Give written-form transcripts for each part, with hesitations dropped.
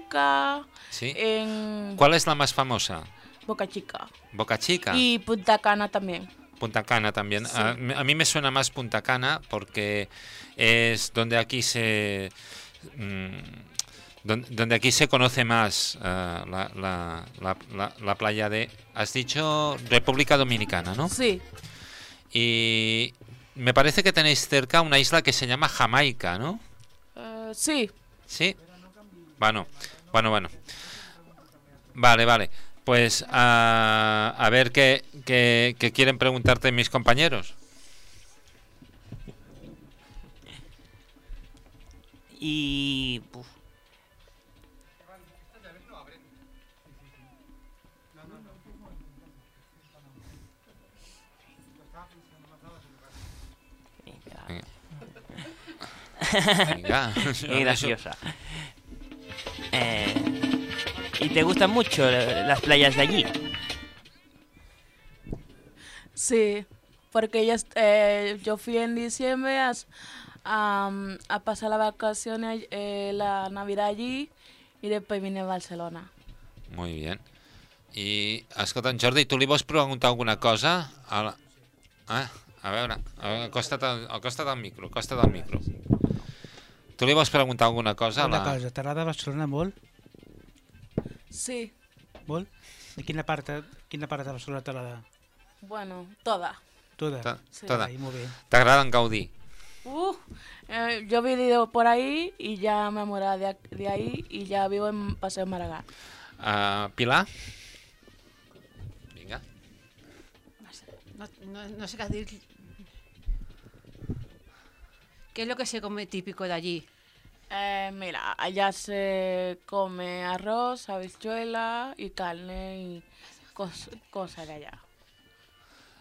Chica, Sí. en ¿Cuál es la más famosa? Boca Chica Boca Chica. y Punta Cana también. Punta Cana también. Sí. A mí me suena más Punta Cana porque es donde aquí se donde aquí se conoce más la playa de, has dicho, República Dominicana, ¿no? Sí, Y me parece que tenéis cerca una isla que se llama Jamaica, ¿no? sí. Sí. Bueno. Vale. Pues a ver qué quieren preguntarte mis compañeros. Y... uf, Venga. qué graciosa. ¿Y te gustan mucho las playas de allí? Sí, porque yo fui en diciembre a pasar las vacaciones, la Navidad allí y después vine a Barcelona. Muy bien. I, escolta, en Jordi, tu li vols preguntar alguna cosa? A veure, acosta't al micro, Tu li vols preguntar alguna cosa? Una cosa, t'agrada Barcelona molt? Sí, Molt? De quina part de Barcelona t'agrada? bueno, toda. Tota? Sí. Toda. Ai, molt bé. T'agrada en Gaudí? Yo he vivido por ahí y ya me enamoré de ahí y ya vivo en Paseo Maragall. Pilar? Vinga. No sé qué decir. ¿Qué es lo que se come típico de allí? Mira, allá se come arroz, habichuela y carne y cosas de allá.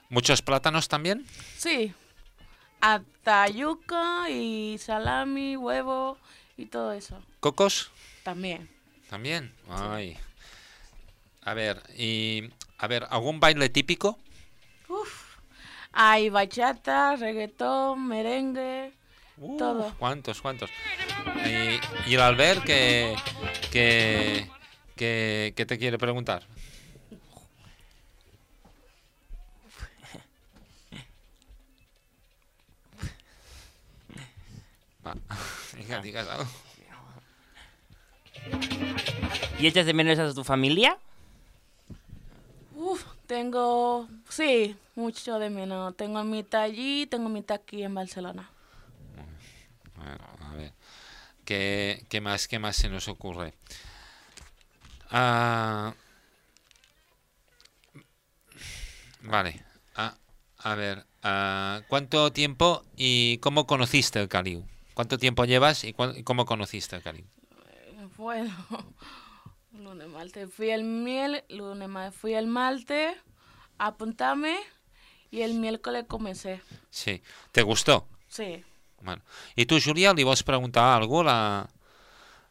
¿Muchos plátanos también? Sí, hasta yuca y salami, huevo y todo eso. ¿Cocos? También. También. Ay. A ver, ¿algún baile típico? Hay bachata, reggaetón, merengue, todo. ¿Cuántos? Y el Albert, ¿qué te quiere preguntar? Va, venga, digas algo. ¿Y echas de menos a tu familia? Sí, mucho de menos. Tengo mitad allí, tengo mitad aquí en Barcelona. Bueno, a ver, ¿qué más se nos ocurre? Vale, a ver, ¿cuánto tiempo y cómo conociste el Caliu? ¿Cuánto tiempo llevas y cómo conociste el Caliu? Bueno, lunes, martes fui el martes a apuntarme y el miércoles comencé. Sí, ¿te gustó? Sí. Bueno. I tu, Júlia, li vols preguntar alguna cosa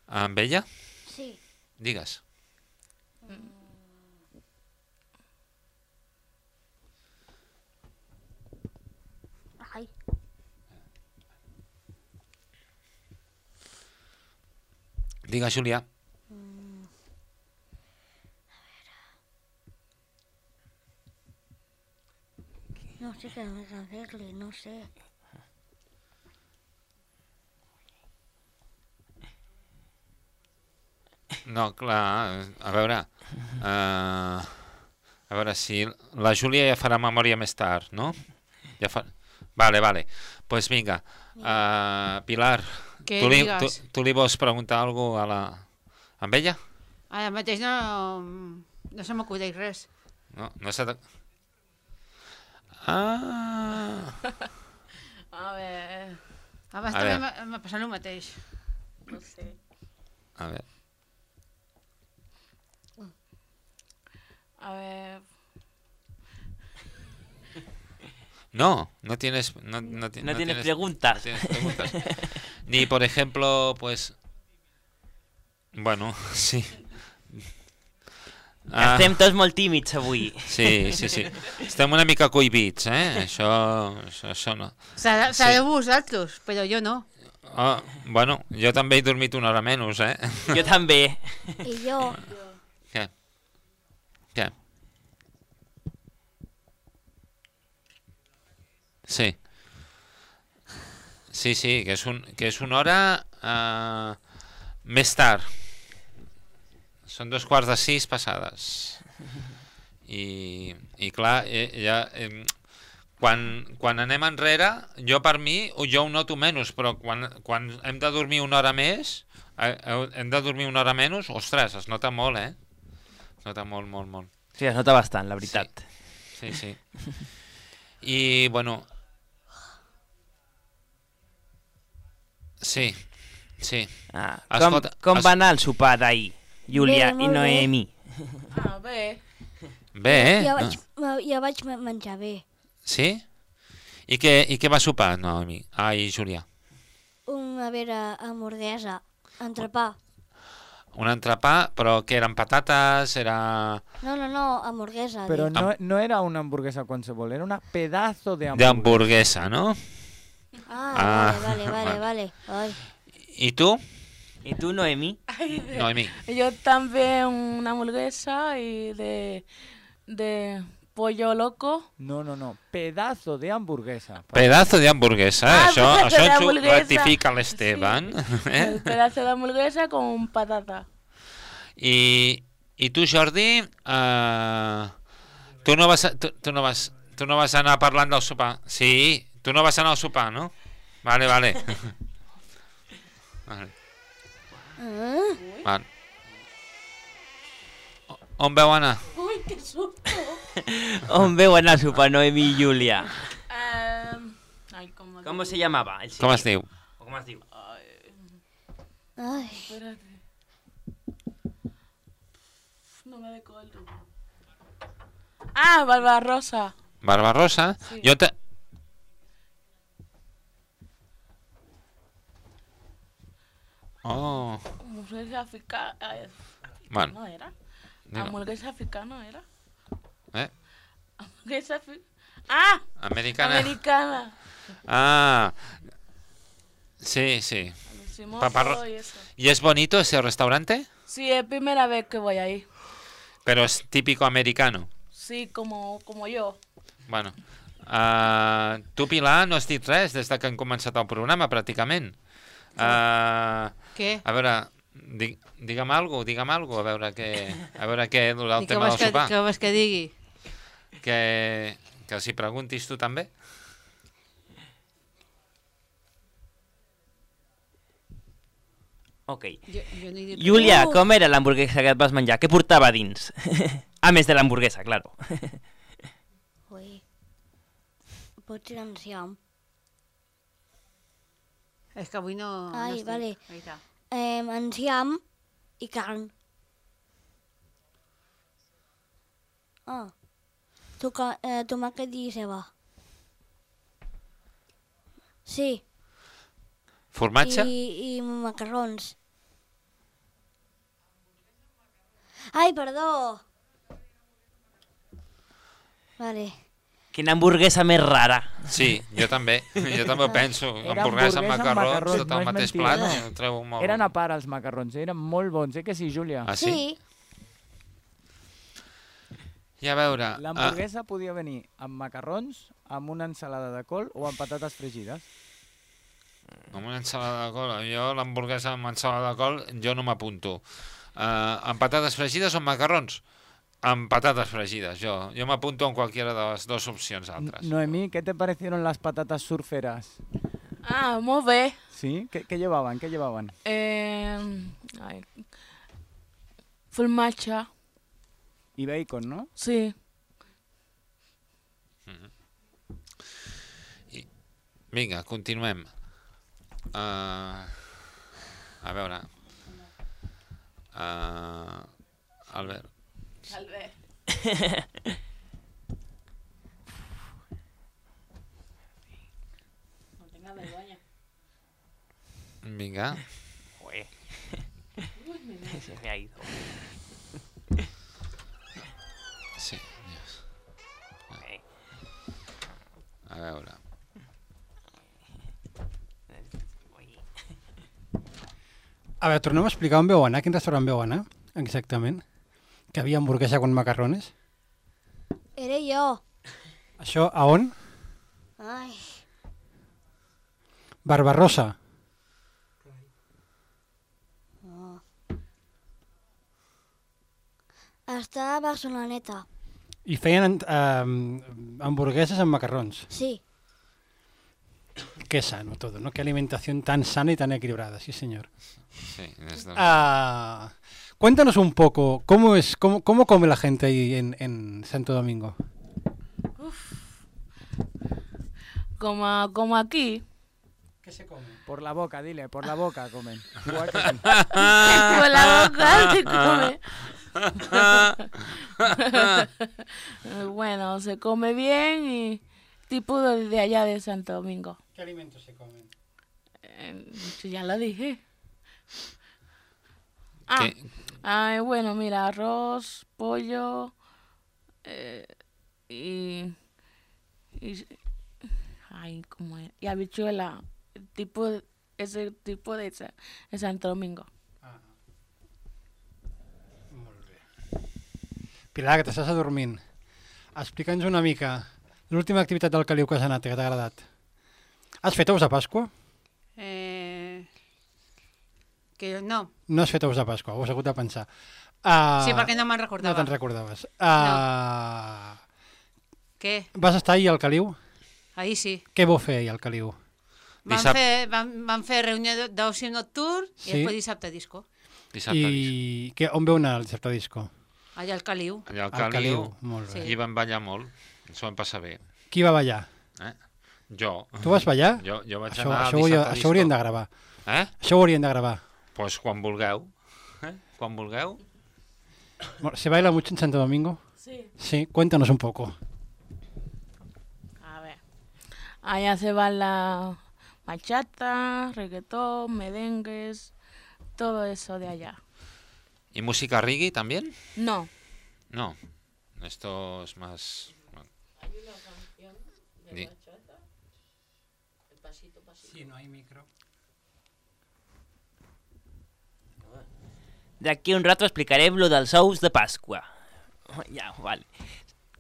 amb ella? Sí. Digues. Ai. Digues, Júlia. No sé què més fer-li, no sé. No, clar, a veure si la Júlia ja farà memòria més tard, no? Ja fa... Vale. Pues vinga, Pilar, Què tu digues? li vols preguntar alguna cosa amb ella? Ara mateix no se m'acudeix res. No s'ha de... A ver, Abans A també veure. m'ha passat el mateix. no sé. A ver. A ver, No tienes... No tienes preguntas. No tienes preguntas. Ni, por ejemplo, pues... Bueno, sí. Estem tots molt tímids avui. Sí. Estem una mica cohibits, eh? Això no. Sereu vosaltres, però jo no. Bueno, jo també he dormit una hora menys, eh? Jo també. I jo, Què? Què? Sí. Sí, que és una hora més tard. Són 2:15 passades. I clar, quan anem enrere, jo per mi, jo ho noto menys, però quan hem de dormir una hora més, ostres, es nota molt, eh? Es nota molt, molt, molt. Sí, es nota bastant, la veritat. Sí. I, bueno... Sí. Com va anar el sopar d'ahir, Júlia Bé, i molt bé. Noemi? Bé. Bé, eh? jo vaig menjar bé. Sí? I què va sopar, Noemi? Ai, Júlia. Una vera hamburguesa, entrepà. Un entrepà, però que eren patates, era... No, hamburguesa. Pero dic. no era una hamburguesa cualquiera, era una pedazo de hamburguesa. d'hamburguesa, no? Vale. Ai. I tu, I tu, Noemi? Noemi? Yo también una hamburguesa y de pollo loco. No, pedazo de hamburguesa. Pedazo d'hamburguesa, Ah, això pedazo de ens ho hamburguesa. ratifica l'Esteban. El pedazo de hamburguesa con patata. I tu, Jordi, tu no vas anar parlant del sopar? Sí, tu no vas anar al sopar, no? Vale. Vale. On veu anar? Uy, qué susto. On veu anar a sopar Noemi i Júlia? Ay, ¿cómo? Com se llamava? El Com es sitio? diu? O com es diu? Ai. Espérate. No me recuerdo. Ah, Barbarosa. Barbarosa? Sí. Jo te... Oh, Hamburguesa africana. bueno, ¿No era? dilo. Hamburguesa africana era. Eh? Hamburguesa ¡Ah! Americana. Americana. Ah, sí. Lo hicimos Paparro- todo y eso. ¿Y es bonito ese restaurante? Sí, es primera vez que voy ahí. Pero es típico americano. Sí, como yo. Bueno, tu, Pilar, no has dit res des de que hem començat el programa, pràcticament. Què? A veure, digue'm alguna cosa, a veure què el I què tema vols del sopar. què vols que digui? Que els hi preguntis tu també. Ok. Jo no he dit Júlia, com era l'hamburguesa que et vas menjar? Què portava dins? A més de l'hamburguesa, claro. Ui. Potser enciam. És que avui no... Ai, no estic. vale. Ahí està. Enciam i carn. Tomàquet i ceba. Sí, Formatge? i macarrons. Ai, perdó. Vale. Quina hamburguesa més rara. Sí, jo també ho penso. Era Hamburguesa amb hamburguesa amb macarrons, macarrons, tot no al és mateix mentida. plat, ho trobo molt... Eren a part els macarrons, eren molt bons, que sí, Júlia? Ah, sí? Sí. I a veure... L'hamburguesa podia venir amb macarrons, amb una ensalada de col o amb patates fregides. Amb una ensalada de col, jo l'hamburguesa amb ensalada de col, jo no m'apunto. Amb patates fregides o amb macarrons? Amb patates fregides, jo m'apunto en qualquiera de les dues opcions altres. Noemí, ¿qué te parecieron las patatas surferas? Ah, muy bien. ¿Sí? ¿Qué llevaban? ¿Qué llevaban? Formatge. Y bacon, ¿no? Sí. Vinga, continuem. A veure... Albert. No tengas vergüenza. Vinga. Ué. Se me ha ido. Sí, Dios. Ok. A veure. Ui. A veure, tornem a explicar on veu anar, quin restaurant veu anar, exactament. Que havia hamburguesa con macarrones. Era jo. Això a on? Ai, Barbarossa. està a Barceloneta. I feien hamburgueses amb macarrons. Sí. Qué sano todo, ¿no? Qué alimentación tan sana y tan equilibrada, sí señor. Sí, Cuéntanos un poco, ¿cómo come la gente ahí en Santo Domingo? Como aquí. ¿Qué se come? Por la boca, dile, por la boca comen. Igual que aquí. Por la boca se come. Bueno, se come bien y tipo de allá de Santo Domingo. ¿Qué alimentos se comen? Ya lo dije. Bueno, mira, arroz, pollo y ¿cómo es? Y habichuela, ese tipo de Santo Domingo. Molt bé. Pilar, que t'estàs adormint. Explica'ns una mica l'última activitat del Caliu que has anat, que t'ha agradat. Has fet ous de Pasqua? Que no. No has fet ous de Pasqua, ho has hagut de pensar. Sí, perquè no me'n No recordava. te'n recordaves. Què? Vas estar ahir al Caliu? Ahir sí. Què vau fer ahir al Caliu? Vam fer reunió d'oci nocturn Sí. i després dissabte disco. I on veu anar el dissabte disco? Allà al Caliu. Allà Al Caliu, molt bé. Sí. I vam ballar molt, ens ho vam passar bé. Qui va ballar? Jo. Tu vas ballar? Jo vaig Això, anar al això, dissabte això ho haurien de gravar. Això ho haurien de gravar. Pues quan vulgueu. Quan vulgueu. ¿Se baila mucho en Santo Domingo? Sí. Sí, cuéntanos un poco. A ver. Allá se baila bachata, reggaetón, merengues, todo eso de allá. ¿Y música reggae también? No. No. Esto es más... Hay una canción Di. bachata. El pasito, pasito. Sí, no hay micro. D'aquí un rato explicarem lo dels ous de Pasqua. Ja, vale.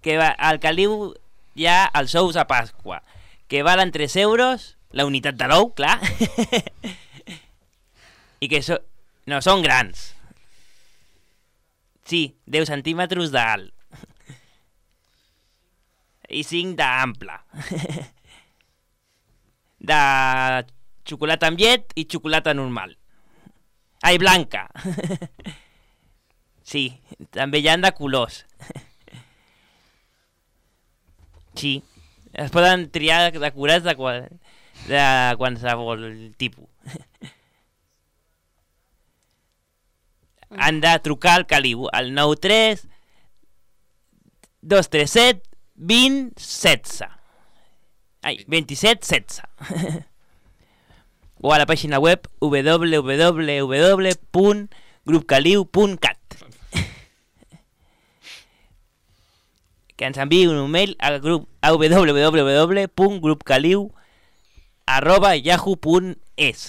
Que al Caliu hi ha els ous de Pasqua, que valen 3 euros, la unitat de l'ou, clar. I que no, són grans. Sí, 10 centímetres d'alt. I 5 d'ample. De xocolata amb llet i xocolata normal. Ai, blanca. Sí, també hi ha de colors. Sí, es poden triar decorats de qualsevol tipus. Han de trucar al Caliu al 93 237 20 16. Ai, 27 16. O a la pàgina web www.grupcaliu.cat. Que ens enviï un mail a www.grupcaliu@yahoo.es.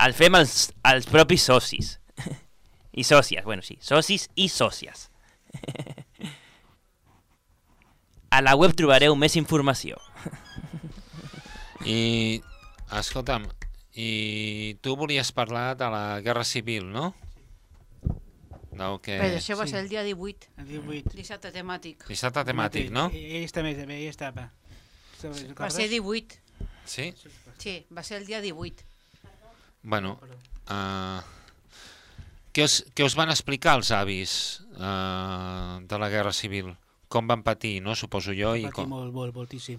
El fem els propis socis. I sòcies, bueno, sí, socis i sòcies. A la web trobareu més informació. I, escolta'm, i tu volies parlar de la Guerra Civil, no? Del que... Però això va ser el dia 18. El 18. Dissabte temàtic. Dissabte temàtic, no? Ell estava. Va ser 18. Sí? Sí, va ser el dia 18. Bueno, què us van explicar els avis de la Guerra Civil? Com van patir, no? Suposo jo. Va patir moltíssim.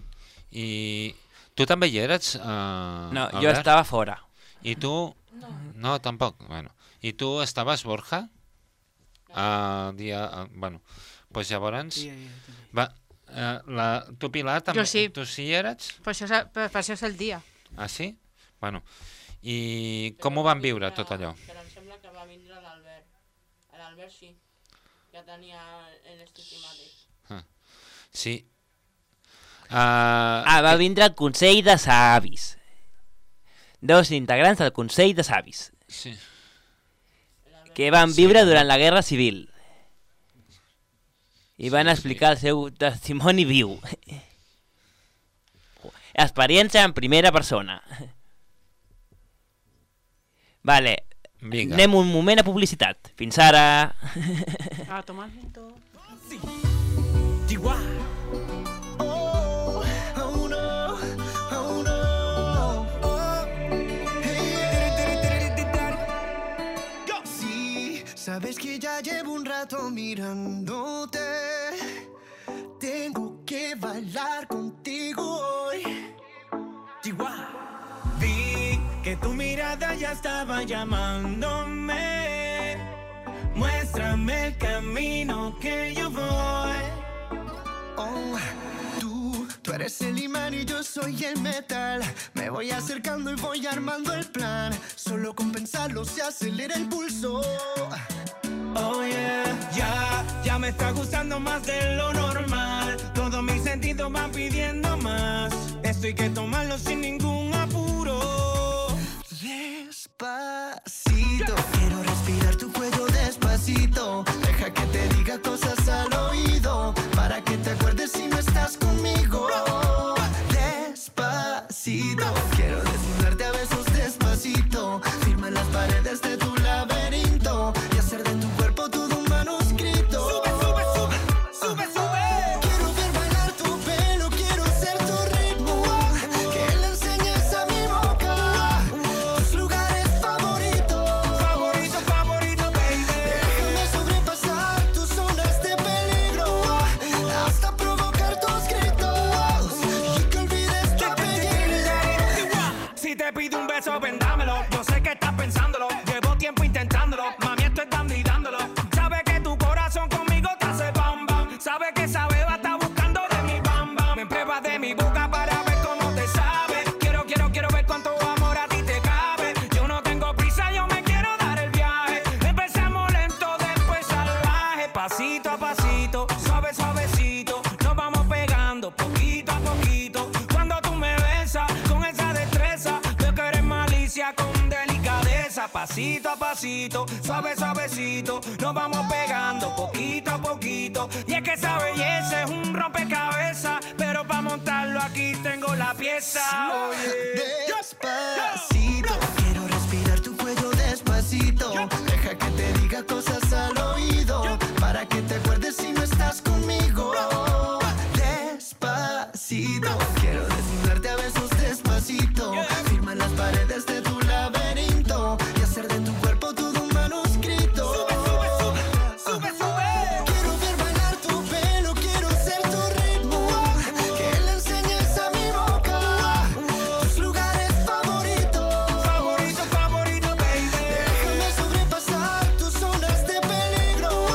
I tu també hi eres, No, Albert? jo estava fora. I tu? No, tampoc. Bueno. I tu estaves, Borja? Bueno, pues llavors... Tu, Pilar, també? Jo sí. Tu sí hi eres? Per això és el dia. Ah, sí? Bueno, i com ho van viure, tot allò? Però em sembla que va vindre l'Albert. L'Albert sí, ja tenia l'estimàtic. Sí. Va vindre el Consell de Savis. 2 integrants del Consell de Savis. Sí. Que van viure durant la Guerra Civil. I van explicar el seu testimoni viu. Experiència en primera persona. Vale. Vinga. Anem un moment a publicitat. Fins ara. A tomar el viento. Sabes que ya llevo un rato mirándote. Tengo que bailar contigo hoy. Vi que tu mirada ya estaba llamándome. Muéstrame el camino que yo voy. Oh, tú eres el imán y yo soy el metal. Me voy acercando y voy armando el plan. Solo con pensarlo se acelera el pulso. Oh yeah, ya me está gustando más de lo normal. Todos mis sentidos van pidiendo más. Esto hay que tomarlo sin ningún apuro. Despacito, quiero respirar tu cuello despacito. Deja que te diga cosas al oído, para que te acuerdes si no estás conmigo. Despacito, quiero desnudarte a besos despacito. Firma en las paredes de tu laberinto y hacer de tu cuerpo todo un manuscrito. Sube, sube, sube, sube, sube. Quiero ver bailar tu pelo, quiero ser tu ritmo. Que le enseñes a mi boca tus lugares favoritos. Favorito, favorito, baby. Déjame sobrepasar tus zonas de peligro hasta provocar tus gritos y que olvides tu apellido. Si te pido un beso, ven dámelo. Yo sé que estás pensándolo. Llevo tiempo intentándolo. Mami, estoy dando y dándolo. Sabe que tu corazón conmigo te hace bam bam. Sabe que esa beba está buscando de mi bam bam. Me pruebas de mi boca para ver cómo te sabe. Quiero ver cuánto amor a ti te cabe. Yo no tengo prisa, yo me quiero dar el viaje. Empezamos lento, después salvaje. Pasito a pasito, suave, suavecito. Nos vamos pegando poquito a poquito. Cuando tú me besas con esa destreza, veo que eres malicia con delicadeza. Pasito a pasito, suave, suavecito. Nos vamos pegando poquito a poquito. Y es que esa belleza es un rompecabezas, pero para montarlo aquí tengo la pieza. Oye. Despacito, quiero respirar tu cuello despacito. Deja que te diga cosas al oído, para que te acuerdes si no estás conmigo. Despacito, quiero desnudarte a besos despacito. Firma en las paredes de tu laberinto y hacer de tu cuerpo todo un manuscrito. Sube, sube, sube, sube, sube. Quiero ver bailar tu pelo, quiero ser tu ritmo. Que le enseñes a mi boca tus lugares favoritos. Favorito, favorito, baby. Déjame sobrepasar tus zonas de peligro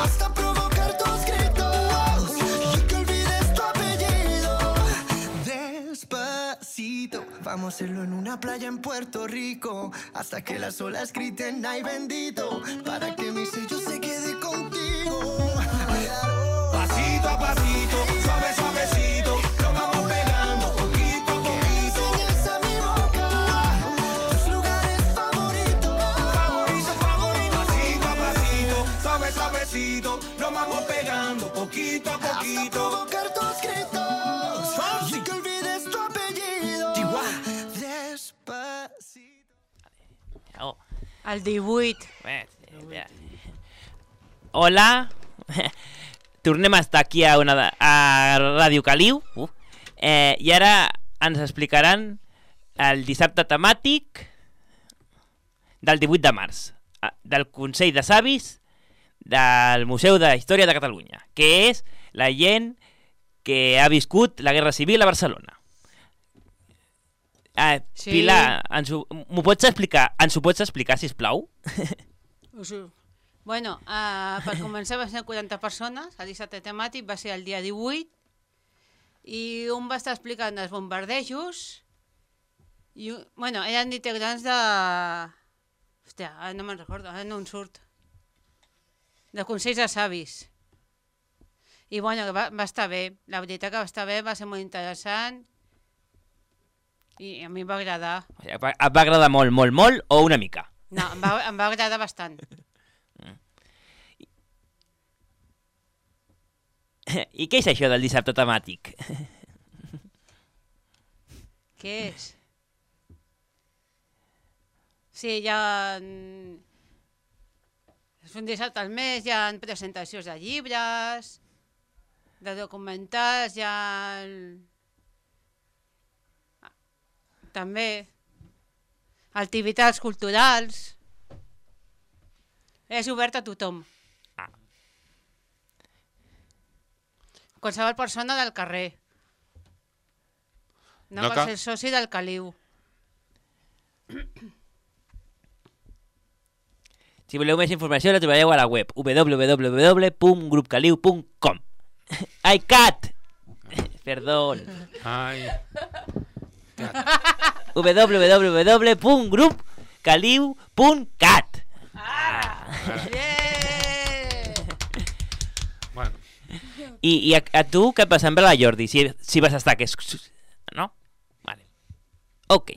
hasta provocar tus gritos y que olvides tu apellido. Despacito, vamos a hacerlo en una playa en Puerto Rico hasta que las olas griten ay bendito, para que mi sello se quede contigo. Pasito a pasito, suave, suavecito. Nos vamos pegando poquito a poquito. Enseñas a mi boca tus lugares favoritos. Favorito, favorito. Pasito a pasito, suave, suavecito. Nos vamos pegando poquito a Hasta poquito. provocar tus gritos y que olvides tu apellido. Despacito. Oh. El 18. Hola. Tornem a estar aquí a Ràdio Caliu. I ara ens explicaran el dissabte temàtic del 18 de març, del Consell de Savis del Museu de Història de Catalunya, que és la gent que ha viscut la Guerra Civil a Barcelona. Sí. Pilar, m'ho pots explicar, sisplau? Bueno, per començar va ser 40 persones, el dissabte temàtic va ser el dia 18, i un va estar explicant els bombardejos, i, bueno, eren integrants de... Hòstia, ara no me'n recordo, ara no em surt. De Consells de Savis. I bueno, va estar bé. La veritat que va estar bé, va ser molt interessant. I a mi em va agradar. O sigui, et va agradar molt, molt, molt o una mica? No, em va agradar bastant. I què és això del dissabte temàtic? Què és? Sí, hi ha... És un dissabte al mes, hi ha presentacions de llibres, de documentals, hi ha... També activitats culturals. És obert a tothom. Qualsevol persona del carrer. No cal ser soci del Caliu. Si voleu més informació la trobareu a la web www.grupcaliu.com. Ai, Cat! Perdón. Ai. www.grupcaliu.cat. Bueno. I a tu què et va semblar, Jordi? Si vas estar, que és... No? Vale. Ok.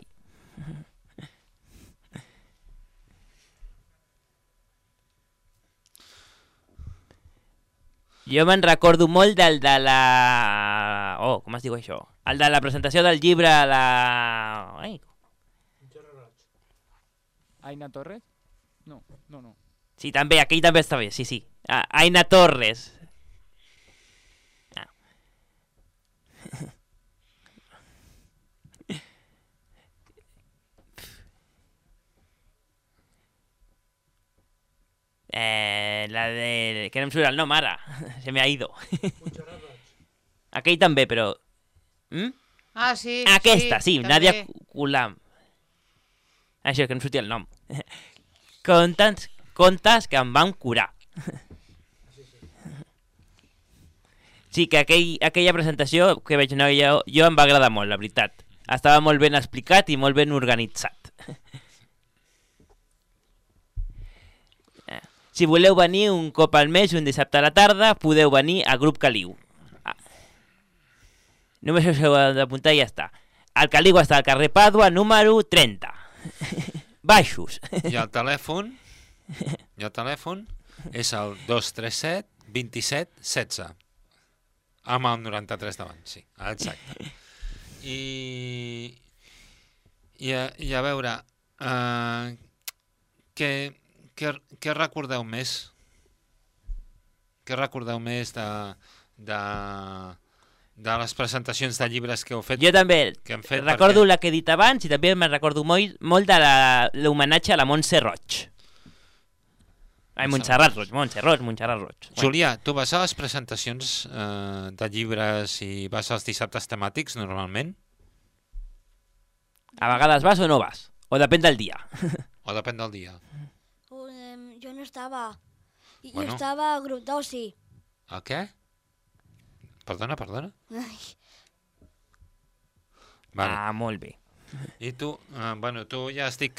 Jo me'n recordo molt del de la... Oh, com es diu això? El de la presentació del llibre a la... Ai. Aina Torres? No. Sí, també, aquell també està bé, sí. Aina Torres. La de... que no em surt el nom ara. Se me ha ido. Aquell també, però... Ah, sí. Aquesta, sí, també. Nadia Kulam. Això, que no em sortia el nom. Contes que em van curar. Sí, que aquella presentació que vaig anar jo em va agradar molt, la veritat. Estava molt ben explicat i molt ben organitzat. Si voleu venir un cop al mes, un dissabte a la tarda, podeu venir a Grup Caliu. Només us heu d'apuntar i ja està. El Caliu està al carrer Pàdua, número 30. Baixos. I el telèfon és el 237 27 16. Amb el 93 davant, sí, exacte. I a veure, què recordeu més? Què recordeu més de les presentacions de llibres que heu fet? Jo també recordo perquè... la que he dit abans i també me'n recordo molt de l'homenatge a la Montse Roig. Ai, Montserrat Roig. Julià, tu vas a les presentacions de llibres i vas als dissabtes temàtics normalment? A vegades vas o no vas? O depèn del dia? O depèn del dia. Jo no estava. Jo Bueno. estava a grup d'oci. A què? Perdona? Ai. Vale. Ah, molt bé. I tu, tu ja has dit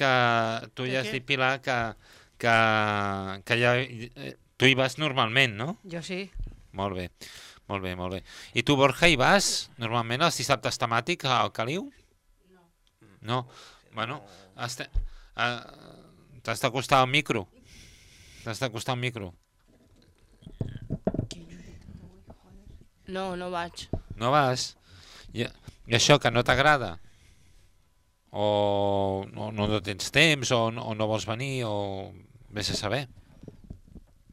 Pilar, que ja, tu hi vas normalment, no? Jo sí. Molt bé. I tu, Borja, hi vas normalment als dissabtes temàtics al Caliu? No. Bueno, t'has d'acostar al micro. No vaig. No vas? I això que no t'agrada? O no tens temps, o no vols venir, o vés a saber?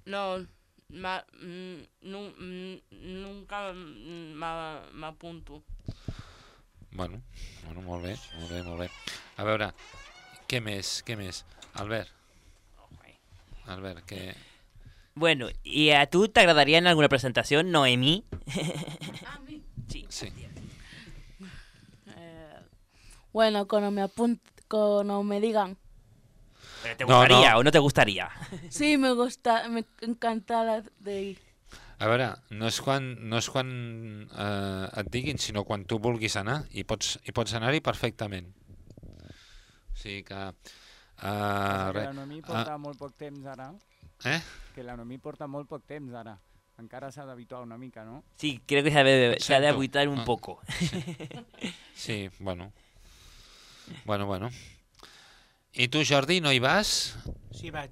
No, nunca m'apunto. Bueno, molt bé. A veure, què més? Albert, què... Bueno, i a tu t'agradaria en alguna presentació, Noemí? A mi? Sí. Bueno, cuando me digan. ¿Pero te gustaría o no te gustaría? Sí, me encanta de ir. A veure, no és quan et diguin, sinó quan tu vulguis anar, i pots anar-hi perfectament. O sigui que... que la Noemí porta molt poc temps ara. Eh? Que la Noemí porta molt poc temps ara. Encara s'ha d'habituar una mica, no? Sí, creo que se ha de habituar un poco. Sí, bueno. Bueno. I tu, Jordi, no hi vas? Sí, vaig.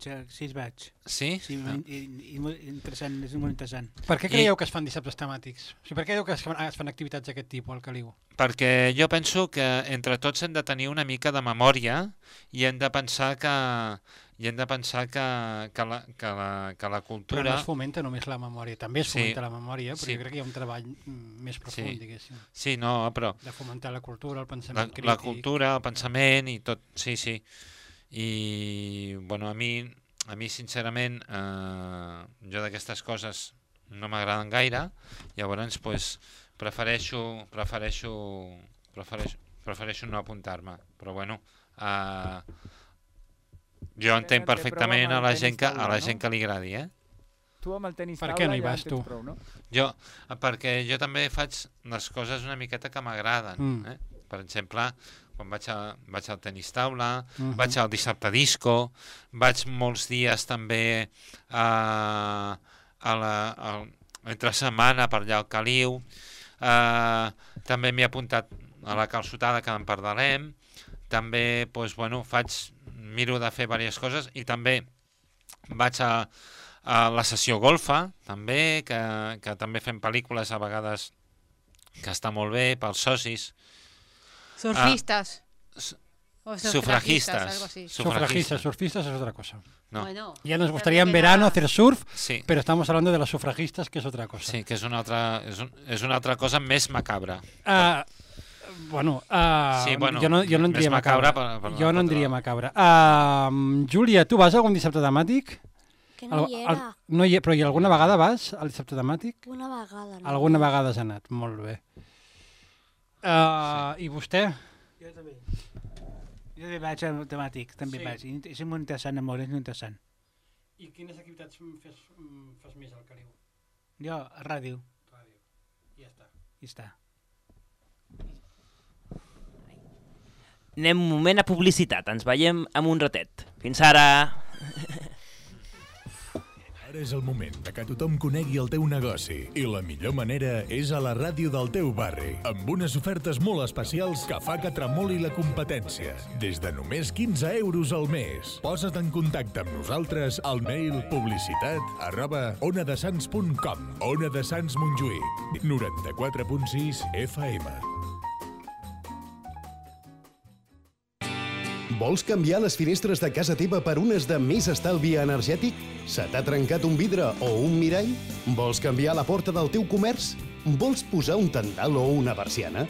Sí? Sí, i molt interessant, és molt interessant. Per què creieu que es fan dissabtes temàtics? O sigui, per què creieu que es fan activitats d'aquest tipus al Caliu? Perquè jo penso que entre tots hem de tenir una mica de memòria i hem de pensar que la cultura... Però no es fomenta només la memòria, també es fomenta la memòria, però jo crec que hi ha un treball més profund, diguéssim. Sí, no, però... De fomentar la cultura, el pensament crític... La cultura, el pensament i tot, sí. I, bueno, a mi sincerament, jo d'aquestes coses no m'agraden gaire, llavors, pues, prefereixo no apuntar-me, però bueno, jo entenc perfectament a la gent que li agradi, Tu amb el tenis taula ja no hi vas, en tens prou, no? Perquè jo també faig les coses una miqueta que m'agraden. Per exemple, quan vaig al tenis taula, vaig al dissabte disco, vaig molts dies també entre setmana per allà al Caliu, també m'he apuntat a la calçotada que en parlarem, també miro de fer diverses coses i també vaig a la sessió golfa, també, que també fem pel·lícules a vegades que està molt bé pels socis. Surfistas. Sufragistas. Algo así. Surfistas es otra cosa. No. Bueno, ya nos gustaría en verano hacer surf, pero estamos hablando de las sufragistas, que es otra cosa. Sí, que és una altra cosa més macabra. Jo no en diria macabra. Jo no en diria macabra. Júlia, tu vas a algun dissabte temàtic? Que no hi era. Però i alguna vegada vas al dissabte temàtic? Una vegada. No. Alguna vegada has anat, molt bé. I vostè? Jo també. Jo també vaig al temàtic, també vaig. És molt interessant, molt interessant. I quines activitats fas més al Caliu? Jo, a ràdio. Ja està. Ja està. Anem un moment a publicitat, ens veiem en un ratet. Fins ara! Ara és el moment de que tothom conegui el teu negoci i la millor manera és a la ràdio del teu barri, amb unes ofertes molt especials que fa que tremoli la competència. Des de només 15 euros al mes. Posa't en contacte amb nosaltres al mail publicitat@onadesans.com. Ona de Sants Montjuïc, 94.6 FM. Vols canviar les finestres de casa teva per unes de més estalvi energètic? Se t'ha trencat un vidre o un mirall? Vols canviar la porta del teu comerç? Vols posar un tendal o una persiana?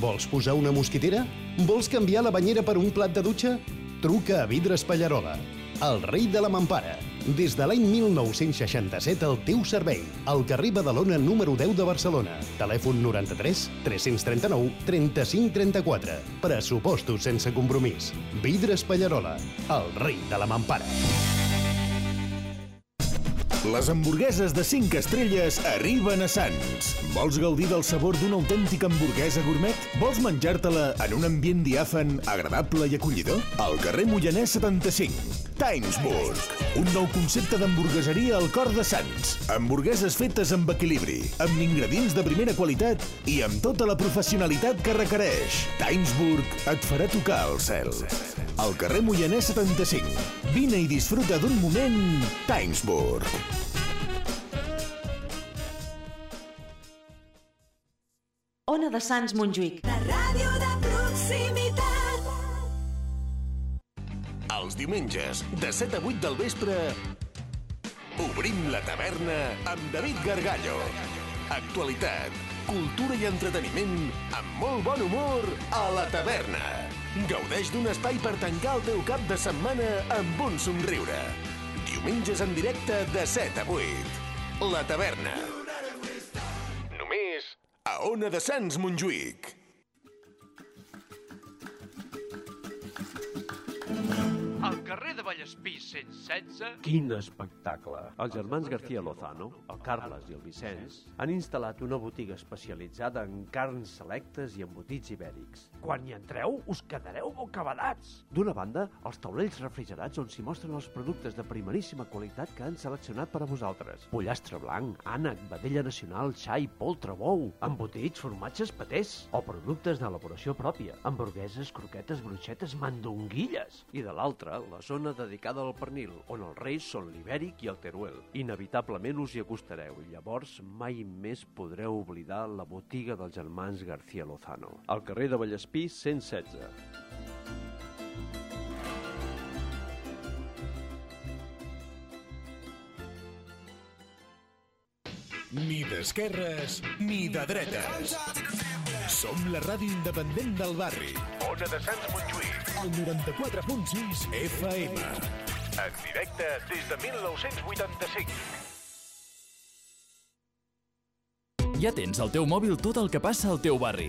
Vols posar una mosquitera? Vols canviar la banyera per un plat de dutxa? Truca a Vidres Pallarola, el rei de la mampara. Des de l'any 1967 al teu servei. Al carrer Badalona número 10 de Barcelona. Telèfon 93 339 35 34. Pressupostos sense compromís. Vidres Pallarola, el rei de la mampara. Les hamburgueses de 5 estrelles arriben a Sants. Vols gaudir del sabor d'una autèntica hamburguesa gourmet? Vols menjar-te-la en un ambient diàfan, agradable i acollidor? Al carrer Moianès 75. Timesburg, un nou concepte d'hamburgueseria al cor de Sants. Hamburgueses fetes amb equilibri, amb ingredients de primera qualitat i amb tota la professionalitat que requereix. Timesburg et farà tocar el cel. Al carrer Moianès 75. Vine i disfruta d'un moment Timesburg. Ona de Sants Montjuïc. La ràdio de proximitat. Els diumenges, de 7 a 8 del vespre, obrim la taverna amb David Gargallo. Actualitat, cultura i entreteniment amb molt bon humor a la taverna. Gaudeix d'un espai per tancar el teu cap de setmana amb un somriure. Diumenges en directe de 7 a 8. La taverna. Només a Ona de Sants Montjuïc. Al carrer de Valladolid Vallespí 116... Quin espectacle! Els germans García Lozano, el Carles i el Vicenç, han instal·lat una botiga especialitzada en carns selectes i embotits ibèrics. Quan hi entreu, us quedareu bocabadats! D'una banda, els taulells refrigerats on s'hi mostren els productes de primeríssima qualitat que han seleccionat per a vosaltres. Pollastre blanc, ànec, vedella nacional, xai, poltre, bou, embotits, formatges, patés, o productes d'elaboració pròpia, hamburgueses, croquetes, bruixetes, mandonguilles. I de l'altra, la zona dedicada al pernil, on els reis són l'ibèric i el teruel. Inevitablement us hi acostareu i llavors mai més podreu oblidar la botiga dels germans García Lozano, al carrer de Vallespí 116. Ni d'esquerres ni de dretes. Som la ràdio independent del barri. Ona de Sants Montjuïc. El 94.6 FM. En directe des de 1985. Ja tens al teu mòbil tot el que passa al teu barri.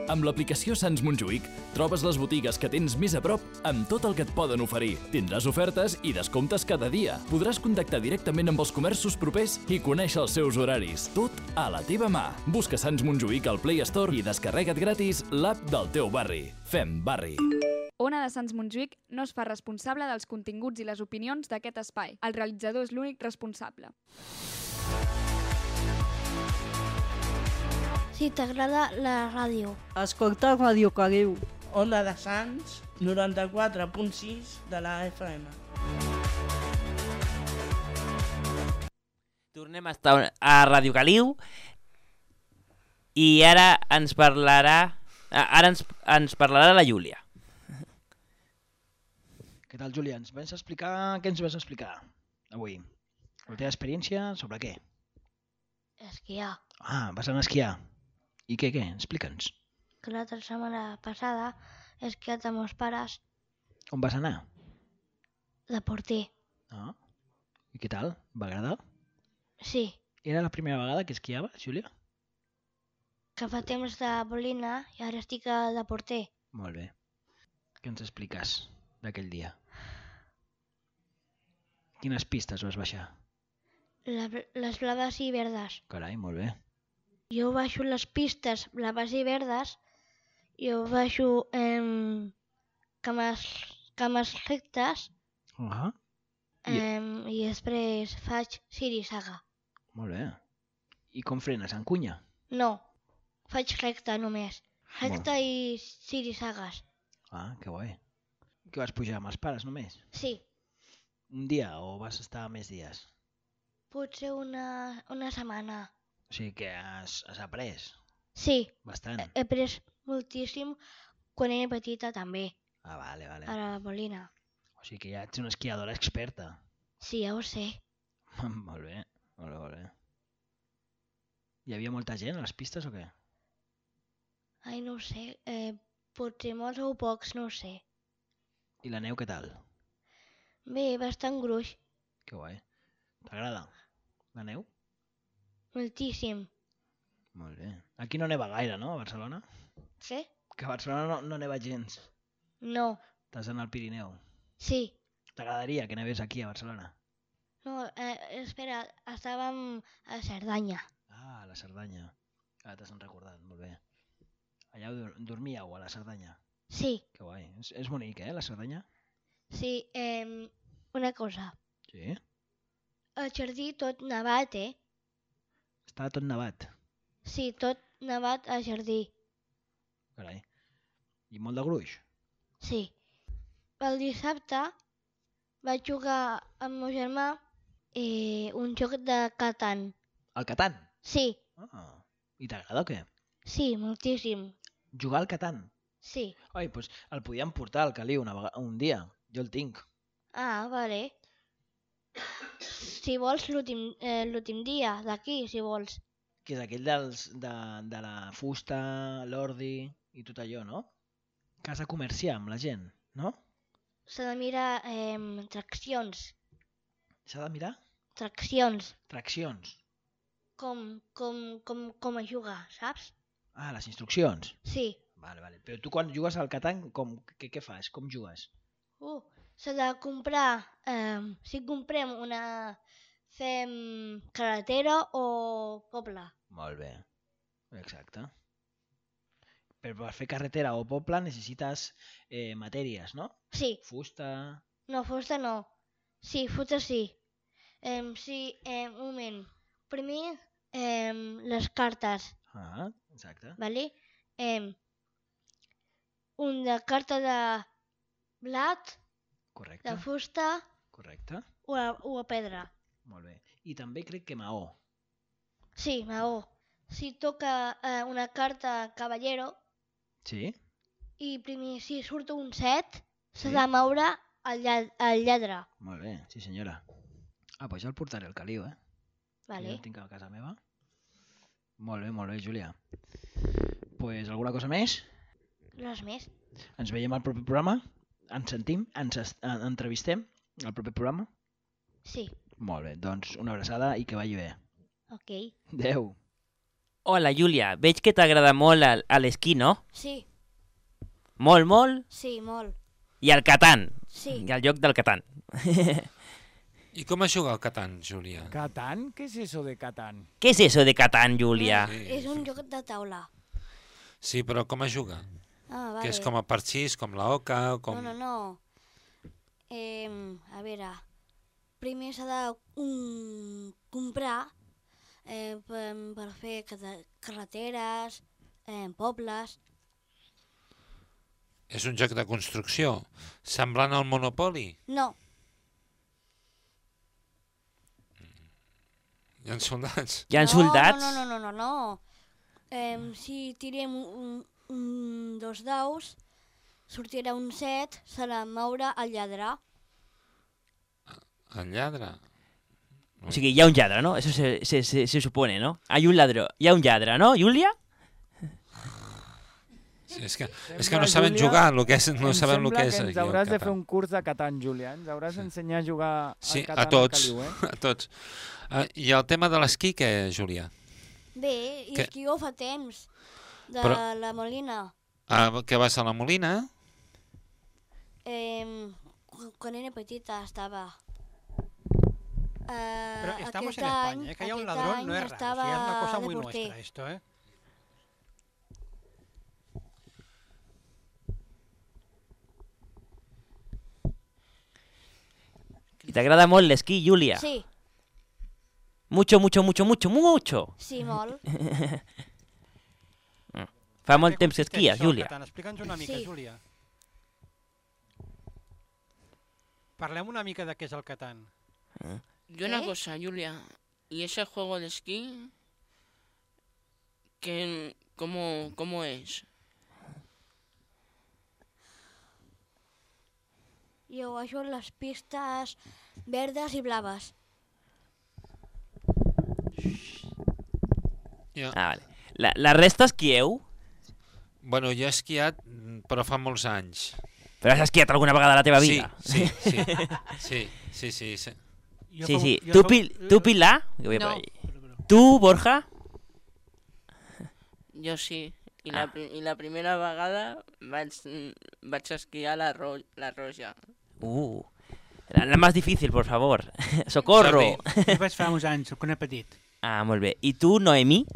Amb l'aplicació Sants Montjuïc trobes les botigues que tens més a prop amb tot el que et poden oferir. Tindràs ofertes i descomptes cada dia. Podràs contactar directament amb els comerços propers i conèixer els seus horaris. Tot a la teva mà. Busca Sants Montjuïc al Play Store i descarrega't gratis l'app del teu barri. Fem barri. Ona de Sants Montjuïc no es fa responsable dels continguts i les opinions d'aquest espai. El realitzador és l'únic responsable. Si t'agrada la ràdio. Escolta Ràdio Caliu. Ona de Sants, 94.6 de la FM. Tornem a estar a Ràdio Caliu i ara ens parlarà la Júlia. Què tal, Júlia? Què ens vas explicar avui? La teva experiència sobre què? Esquiar. Ah, vas anar a esquiar. I què? Explica'ns. Que l'altra setmana passada he esquiat amb meus pares. On vas anar? De porter. Ah. I què tal? Va agradar? Sí. Era la primera vegada que esquiaves, Júlia? Que fa temps de bolina i ara estic de porter. Molt bé. Què ens expliques d'aquell dia? Quines pistes vas baixar? Les blaves i verdes. Carai, molt bé. Jo baixo les pistes blaves i verdes, jo baixo cames rectes i després faig zigue-zague. Molt bé. I com frenes, en cunya? No, faig recta només. Recta i zigue-zagues. Ah, que guai. Que vas pujar amb els pares només? Sí. Un dia o vas estar més dies? Potser una setmana. O sigui que has après? Sí. Bastant. He après moltíssim quan era petita també. Ah, vale. A la bolina. O sigui que ja ets una esquiadora experta. Sí, ja ho sé. Molt bé. Hi havia molta gent a les pistes o què? Ai, no ho sé. Potser molts o pocs, no ho sé. I la neu què tal? Bé, bastant gruix. Que guai. T'agrada la neu? Moltíssim. Molt bé. Aquí no neva gaire, no, a Barcelona? Sí? Que a Barcelona no neva gens. No. Estàs en el Pirineu. Sí. T'agradaria que nevés aquí a Barcelona? No, espera, estàvem a Cerdanya. Ah, a la Cerdanya. Ara t'has recordat, molt bé. Allà dormíeu, a la Cerdanya? Sí. Que guai. És bonic, la Cerdanya? Sí, una cosa. Sí? El jardí tot nevat, Està tot nevat. Sí, tot nevat al jardí. Carai. I molt de gruix? Sí. El dissabte vaig jugar amb el meu germà un joc de Catan. El Catan? Sí. Ah. I t'agrada o què? Sí, moltíssim. Jugar al Catan? Sí. Oi, doncs el podíem portar al Caliu un dia. Jo el tinc. Ah, vale. Si vols l'últim dia d'aquí, si vols. Que és aquell de la fusta, l'ordi i tot allò, no? Que has de comerciar amb la gent, no? S'ha de mirar traccions. S'ha de mirar? Traccions. Traccions. Com a jugar, saps? Ah, les instruccions. Sí. Vale. Però tu quan jugues al Catan, què fas? Com jugues? s'ha de comprar, si comprem fem carretera o poble. Molt bé, exacte. Però per fer carretera o poble necessites matèries, no? Sí. Fusta... No, fusta no. Sí, fusta sí. Sí, un moment. Primer, les cartes. Ah, exacte. Vale? Una carta de blat, Correcte. de fusta Correcte. o a pedra. Molt bé. I també crec que maó. Sí, maó. Si toca una carta caballero Sí? i primer si surt un 7, s'ha Sí. de moure el lladre. Molt bé, sí senyora. Ah, doncs ja el portaré al caliu, eh? Vale. Jo el tinc a casa meva. Molt bé, Júlia. Pues alguna cosa més? Res més. Ens veiem al proper programa? Ens sentim? Ens entrevistem al proper programa? Sí. Molt bé, doncs una abraçada i que vagi bé. Ok. Adéu. Hola, Júlia. Veig que t'agrada molt l'esquí, no? Sí, Molt, molt. sí, molt. I el Catan. Sí. I el joc del Catan. I com es juga al Catan, Júlia? ¿Catán? ¿Qué es eso de Catán? ¿Qué es eso de Catan, Júlia? És un joc de taula. Sí, però com es juga? Ah, vale. Que és com a parxís, com la oca, o com... No. A veure, primer s'ha de comprar per fer carreteres, pobles. És un joc de construcció, semblant al Monopoly. No, Hi ha soldats. Hi ha soldats? no. Si tirem dos daus, sortirà un 7, s'ha de moure el lladre. El lladre. O sigui, hi ha un lladre, ¿no? Eso se supone, ¿no? Hay un ladrón. Hi ha un lladre, ¿no, Júlia? Sí, és que no saben jugar, no sabem el que és. Ens hauràs de fer un curs de Catan, Júlia. Ens hauràs d'ensenyar a jugar Sí, al Catan a tots, al Caliu, eh? a tots. I el tema de l'esquí, què, Júlia? Bé, i Que- esquió fa temps, de Però- la Molina. Que vas a la Molina? Quan era petita estava. Pero estamos aquest en any, España, que haya un aquest ladrón any no es raro, estava sí, es una cosa muy de porter. nuestra esto, ¿eh? I t'agrada molt l'esquí, Júlia? Sí, Mucho, mucho, mucho, mucho, mucho. sí, molt. Fa molt temps que Què és esquies, això, el Júlia. Catan? Explica'ns una mica, Sí. Júlia. Parlem una mica de què és el Catan. Y una cosa, Julia, ¿y ese juego de esquí? ¿Cómo es? Jo baixo les pistes verdes i blaves. Ah, vale. La resta esquieu? Bueno, jo he esquiat, però fa molts anys. Però has esquiat alguna vegada a la teva vida? Sí. Sí. ¿Tú, Pilar? Que voy por No. ahí. ¿Tú, Borja? Yo sí. Y la primera vegada vaig esquiar la Roja. La más difícil, por favor. ¡Socorro! Jo vaig fa uns anys, quan era petit. Ah, molt bé. ¿Y tú, Noemí?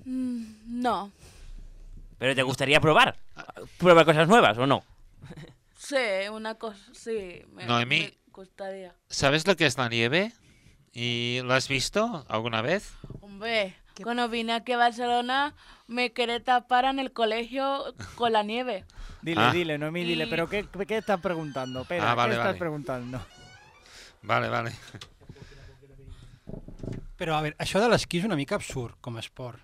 No. ¿Pero te gustaría probar? ¿Probar cosas nuevas o no? Sí, una cosa, sí. Noemí. Me gustaría. ¿Sabes lo que es la nieve? ¿Y lo has visto alguna vez? Hombre, cuando vine aquí a Barcelona me quería tapar en el colegio con la nieve. Dile, Noemí, dile. ¿Pero qué estás preguntando? Espera, vale, ¿qué estás vale. preguntando? Vale. Pero a ver, això de l'esquí és una mica absurd com a esport.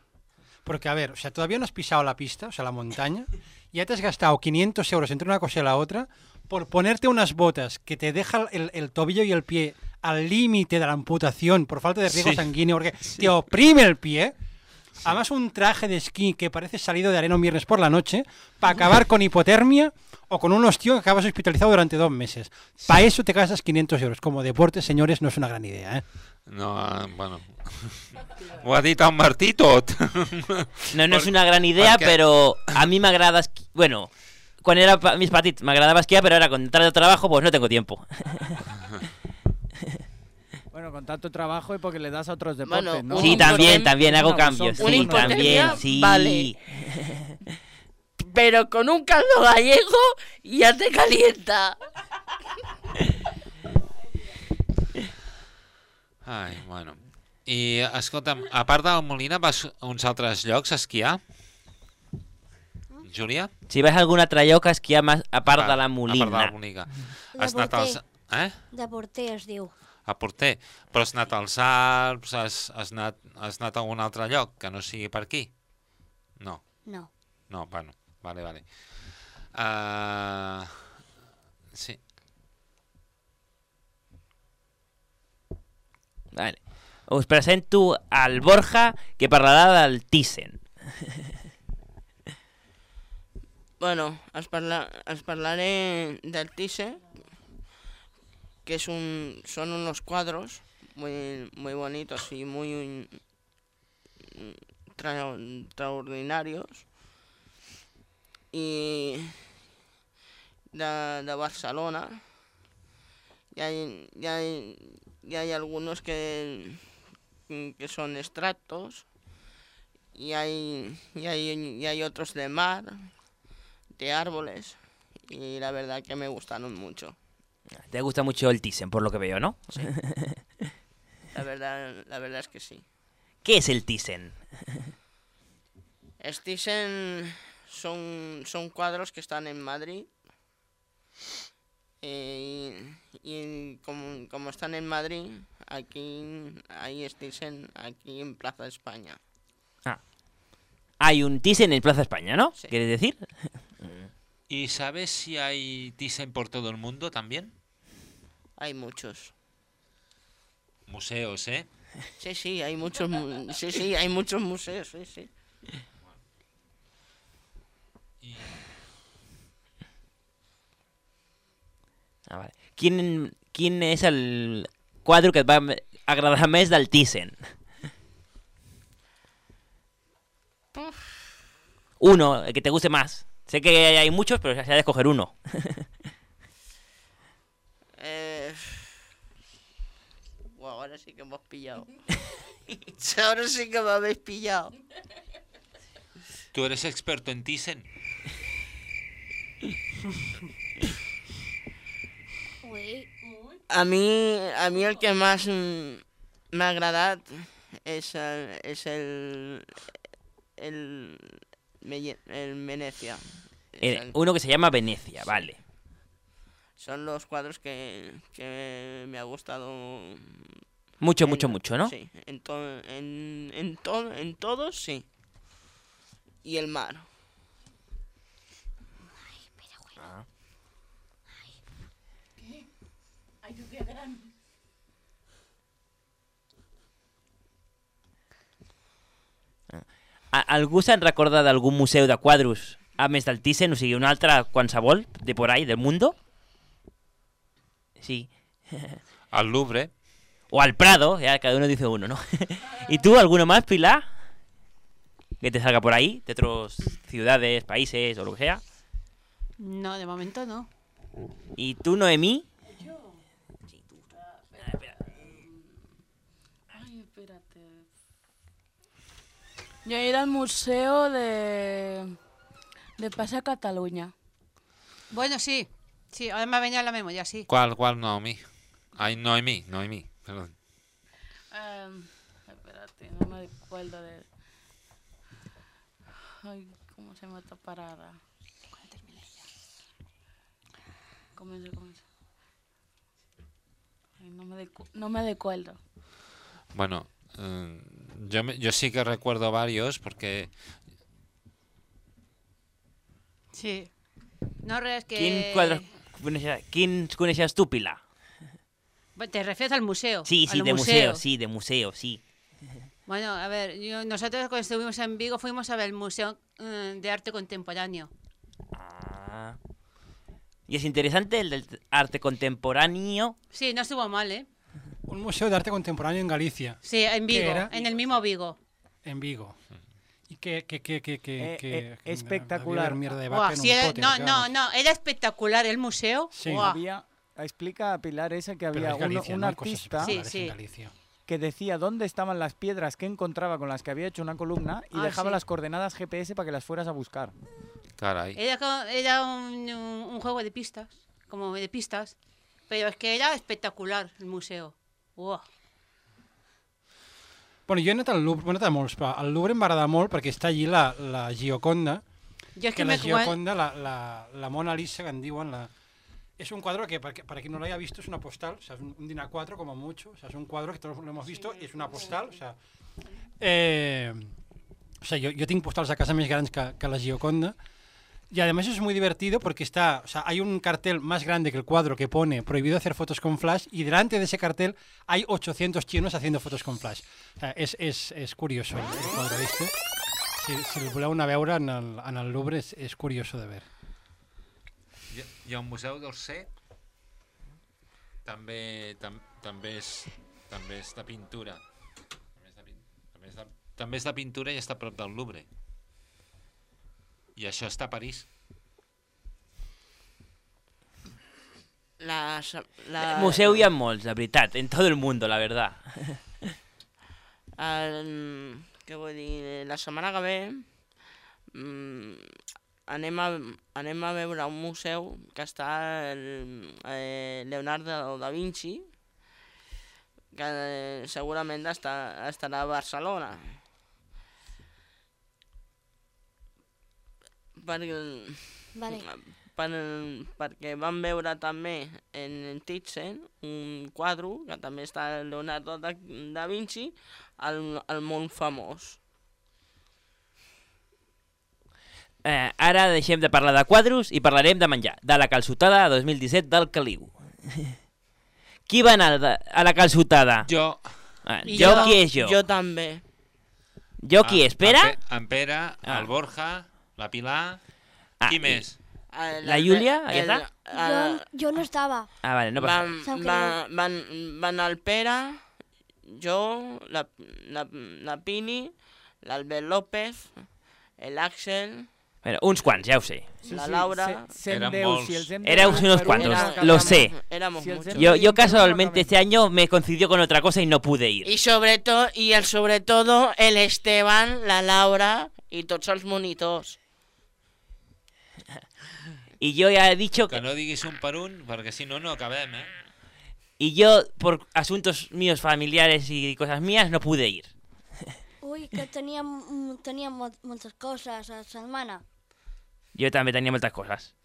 Porque, a ver, o sea, todavía no has pisado la pista, o sea, la montaña, y ya te has gastado 500 euros entre una cosa y la otra por ponerte unas botas que te dejan el tobillo y el pie al límite de la amputación por falta de riego sanguíneo, porque te oprime el pie. Además, un traje de esquí que parece salido de arena un viernes por la noche para acabar con hipotermia o con un hostio que acabas hospitalizado durante 2 meses. Para eso te gastas 500 euros. Como deporte, señores, no es una gran idea, ¿eh? No, bueno... Ho ha dit el Martí tot. No és una gran idea, però a mi m'agrada... Bueno, Quan era més petit m'agradava esquiar, pero ahora con tanto trabajo pues no tengo tiempo. Bueno, con tanto trabajo y porque le das a otros deportes, Bueno, ¿no? Sí, también hago cambios. Una Sí, hipotermia, también, sí. vale. Pero con un caldo gallego ya te calienta. Ai, bueno. I, escolta'm, a part del Molina, vas a uns altres llocs a esquiar? Júlia? Si vas a algun altre lloc a esquiar a part de la Molina. A part de la Molina. Has anat als... De Porter es diu. A Porter. Però has anat als Alps, has anat a algun altre lloc que no sigui per aquí? No. No. No, bueno, vale. Sí. Vale. Us presento al Borja, que parlarà del Thyssen. Bueno, os parlaré del Thyssen, que son unos cuadros muy bonitos y muy extraordinarios, y de Barcelona. Y hay algunos que son extractos, y hay otros de mar, de árboles, y la verdad que me gustaron mucho. Te gusta mucho el Thyssen, por lo que veo, ¿no? Sí. La verdad es que sí. ¿Qué es el Thyssen? El Thyssen son cuadros que están en Madrid, y como están en Madrid, aquí hay Thyssen aquí en Plaza España. Hay un Thyssen en Plaza España, ¿no? Sí. ¿Quieres decir? ¿Y sabes si hay Thyssen por todo el mundo también? Hay muchos. Museos, ¿eh? Sí, hay muchos. Hay muchos museos, sí. Vale. Quin és el quadre que et va agradar més del Thyssen? Uno, el que te guste más. Sé que hay muchos, pero se ha de escoger uno. Ahora sí que me has pillado. Ahora sí que me habéis pillado. ¿Tú eres experto en Thyssen? A mí el que más m'ha agradat és el Venecia. Uno que se llama Venecia, vale. Son los cuadros que me ha gustado mucho, ¿no? Sí, en todos sí. Y el mar. Algú se'n recorda d'algun museu de quadros a més del Thyssen, o sigui, un altre qualsevol de por ahí, del mundo? Sí. Al Louvre. O al Prado, ya cada uno dice uno, ¿no? ¿Y tú, alguno más, Pilar? Que te salga por ahí, de otras ciudades, países o lo que sea. No, de momento no. ¿Y tú, Noemí? Yo he ido al museo de Plaza Cataluña. Bueno, sí, ahora me ha venido a la memoria, sí. ¿Cuál, Noemí? Ay, Noemí, perdón. Espérate, no me acuerdo de... Ay, ¿cómo se llama esta parada? ¿Cuándo termine ya? Comienza. Ay, no me acuerdo. Bueno, yo sí que recuerdo varios porque... Sí. No, res que... ¿Quién coneixes tú, Pilar? ¿Te refieres al museo? Sí, de museo, sí. Bueno, a ver, nosotros cuando estuvimos en Vigo fuimos a ver el Museo de Arte Contemporáneo. ¿Y es interesante el del arte contemporáneo? Sí, no estuvo mal, ¿eh? Un museo de arte contemporáneo en Galicia. Sí, en Vigo, en el mismo Vigo. En Vigo. Y que espectacular. Había mierda de Buah, vaca en sí, un pote. no, era espectacular el museo. Sí. Buah. Explica a Pilar esa que Pero había es Galicia, un no hay cosas artista espectaculares en Galicia. que decía dónde estaban las piedras que encontraba con las que había hecho una columna y dejaba sí. las coordenadas GPS para que las fueras a buscar. Caray. Era un juego de pistas, como de pistas, pero es que era espectacular el museo. Uah. Bueno, jo he anat al Louvre, he anat a molts, però al Louvre em va agradar molt perquè està allí la Gioconda, Jo és que que la me- Gioconda, la Mona Lisa, que en diuen, es un cuadro que, para quien no lo haya visto, es una postal, o sea, es un DIN A4 como mucho, o sea, es un cuadro que todos lo hemos visto, y es una postal, o sea, yo tengo postals a casa més grans que la Gioconda, y además es muy divertido porque hay un cartel más grande que el cuadro que pone prohibido hacer fotos con flash, y delante de ese cartel hay 800 chinos haciendo fotos con flash. O sea, es curioso el cuadro este. Si el voleu anar a veure en el Louvre és curioso de ver. Hi ha un museu d'Orsay, també és de pintura. També és de pintura i està a prop del Louvre. I això està a París. Museu hi ha molts, la veritat, en tot el món, la verdad. Què vull dir? La setmana que ve anem a veure un museu que està Leonardo da Vinci, que segurament estarà a Barcelona. Perquè vam veure també en Thyssen un quadre que també està Leonardo da Vinci, el món famós. Ara deixem de parlar de quadros i parlarem de menjar, de la calçotada 2017 del Caliu. Qui va anar a la calçotada? Jo. Jo qui és jo? Jo també. Jo qui és? Pere? En Pere, el Borja, la Pilar... Qui més? La Júlia? Jo no estava. Vale, no passa. Van el Pere, jo, la Pini, l'Albert López, l'Àxel... Bueno, uns quants, ja ho sé. La Laura... Éramos unos cuantos, lo sé. Yo casualmente este año me coincidió con otra cosa y no pude ir. Y sobre todo el Esteban, la Laura y tots els monitors. Y yo ya he dicho que no diguis un per un, perquè si no, no acabem, Y yo, por asuntos míos familiares y cosas mías, no pude ir. Uy, que tenía muchas cosas a la setmana. Jo també tenia moltes coses.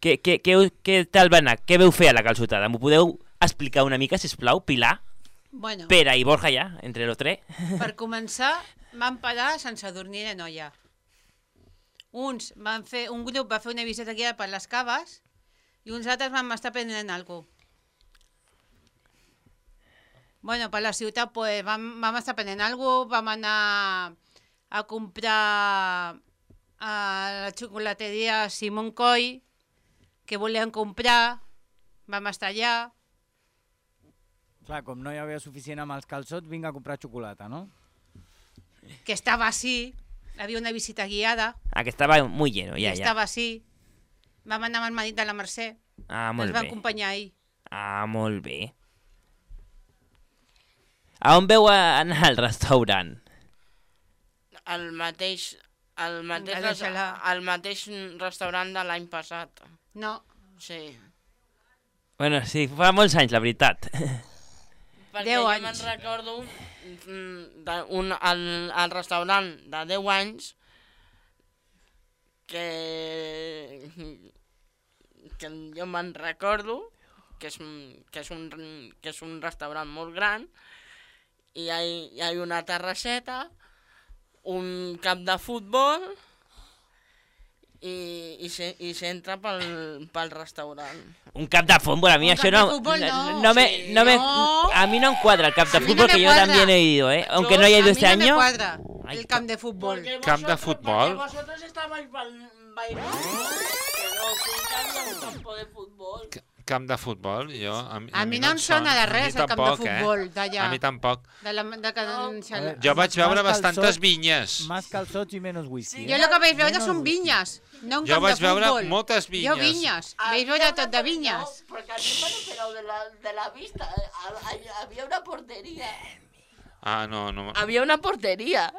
Què tal va anar? Què veu fer a la calçotada? M'ho podeu explicar una mica, sisplau, Pilar? Bueno, Pere i Borja ja, entre los tres. per començar, vam parar sense dormir de noia. Un grup va fer una visita guiada per les caves i uns altres vam estar prenent alguna cosa. Bueno, per la ciutat pues, vam estar prenent alguna cosa, vam anar a comprar a la xocolateria Simon Coy, que volien comprar, vam estar allà. Clar, com no hi havia suficient amb els calçots, vinc a comprar xocolata, no? Que estava així, havia una visita guiada. Que estava muy lleno, ja. Estava així. Vam anar amb el marit de la Mercè. Molt Ens va bé. acompanyar ahir. Molt bé. A on veu anar al restaurant? El mateix restaurant de l'any passat. No. Sí. Bueno, sí, fa molts anys, la veritat. Perquè jo me'n recordo al restaurant de 10 anys que jo me'n recordo que és un restaurant molt gran i hi ha una terrasseta, un camp de futbol i s'entra pel restaurant. Un camp de futbol, a mi això no... A mi no em cuadra el camp de futbol, que yo también he ido, aunque no haya ido este año. A mí no me cuadra el camp de fútbol. Camp de futbol. Porque vosotros estabais bailando, que no, que había un campo de fútbol. camp de futbol. A mi no em sona de res el camp de futbol d'allà. A mi tampoc. De Can Xalà. Jo vaig veure bastantes vinyes. Más calçots i menos whisky. Jo el que vaig veure són vinyes, no un Jo camp de vaig veure futbol. moltes vinyes. Jo vinyes, vaig veure tot de vinyes. No, porque a mí me han operado de la vista. Había una portería. Ah, no. Había una portería.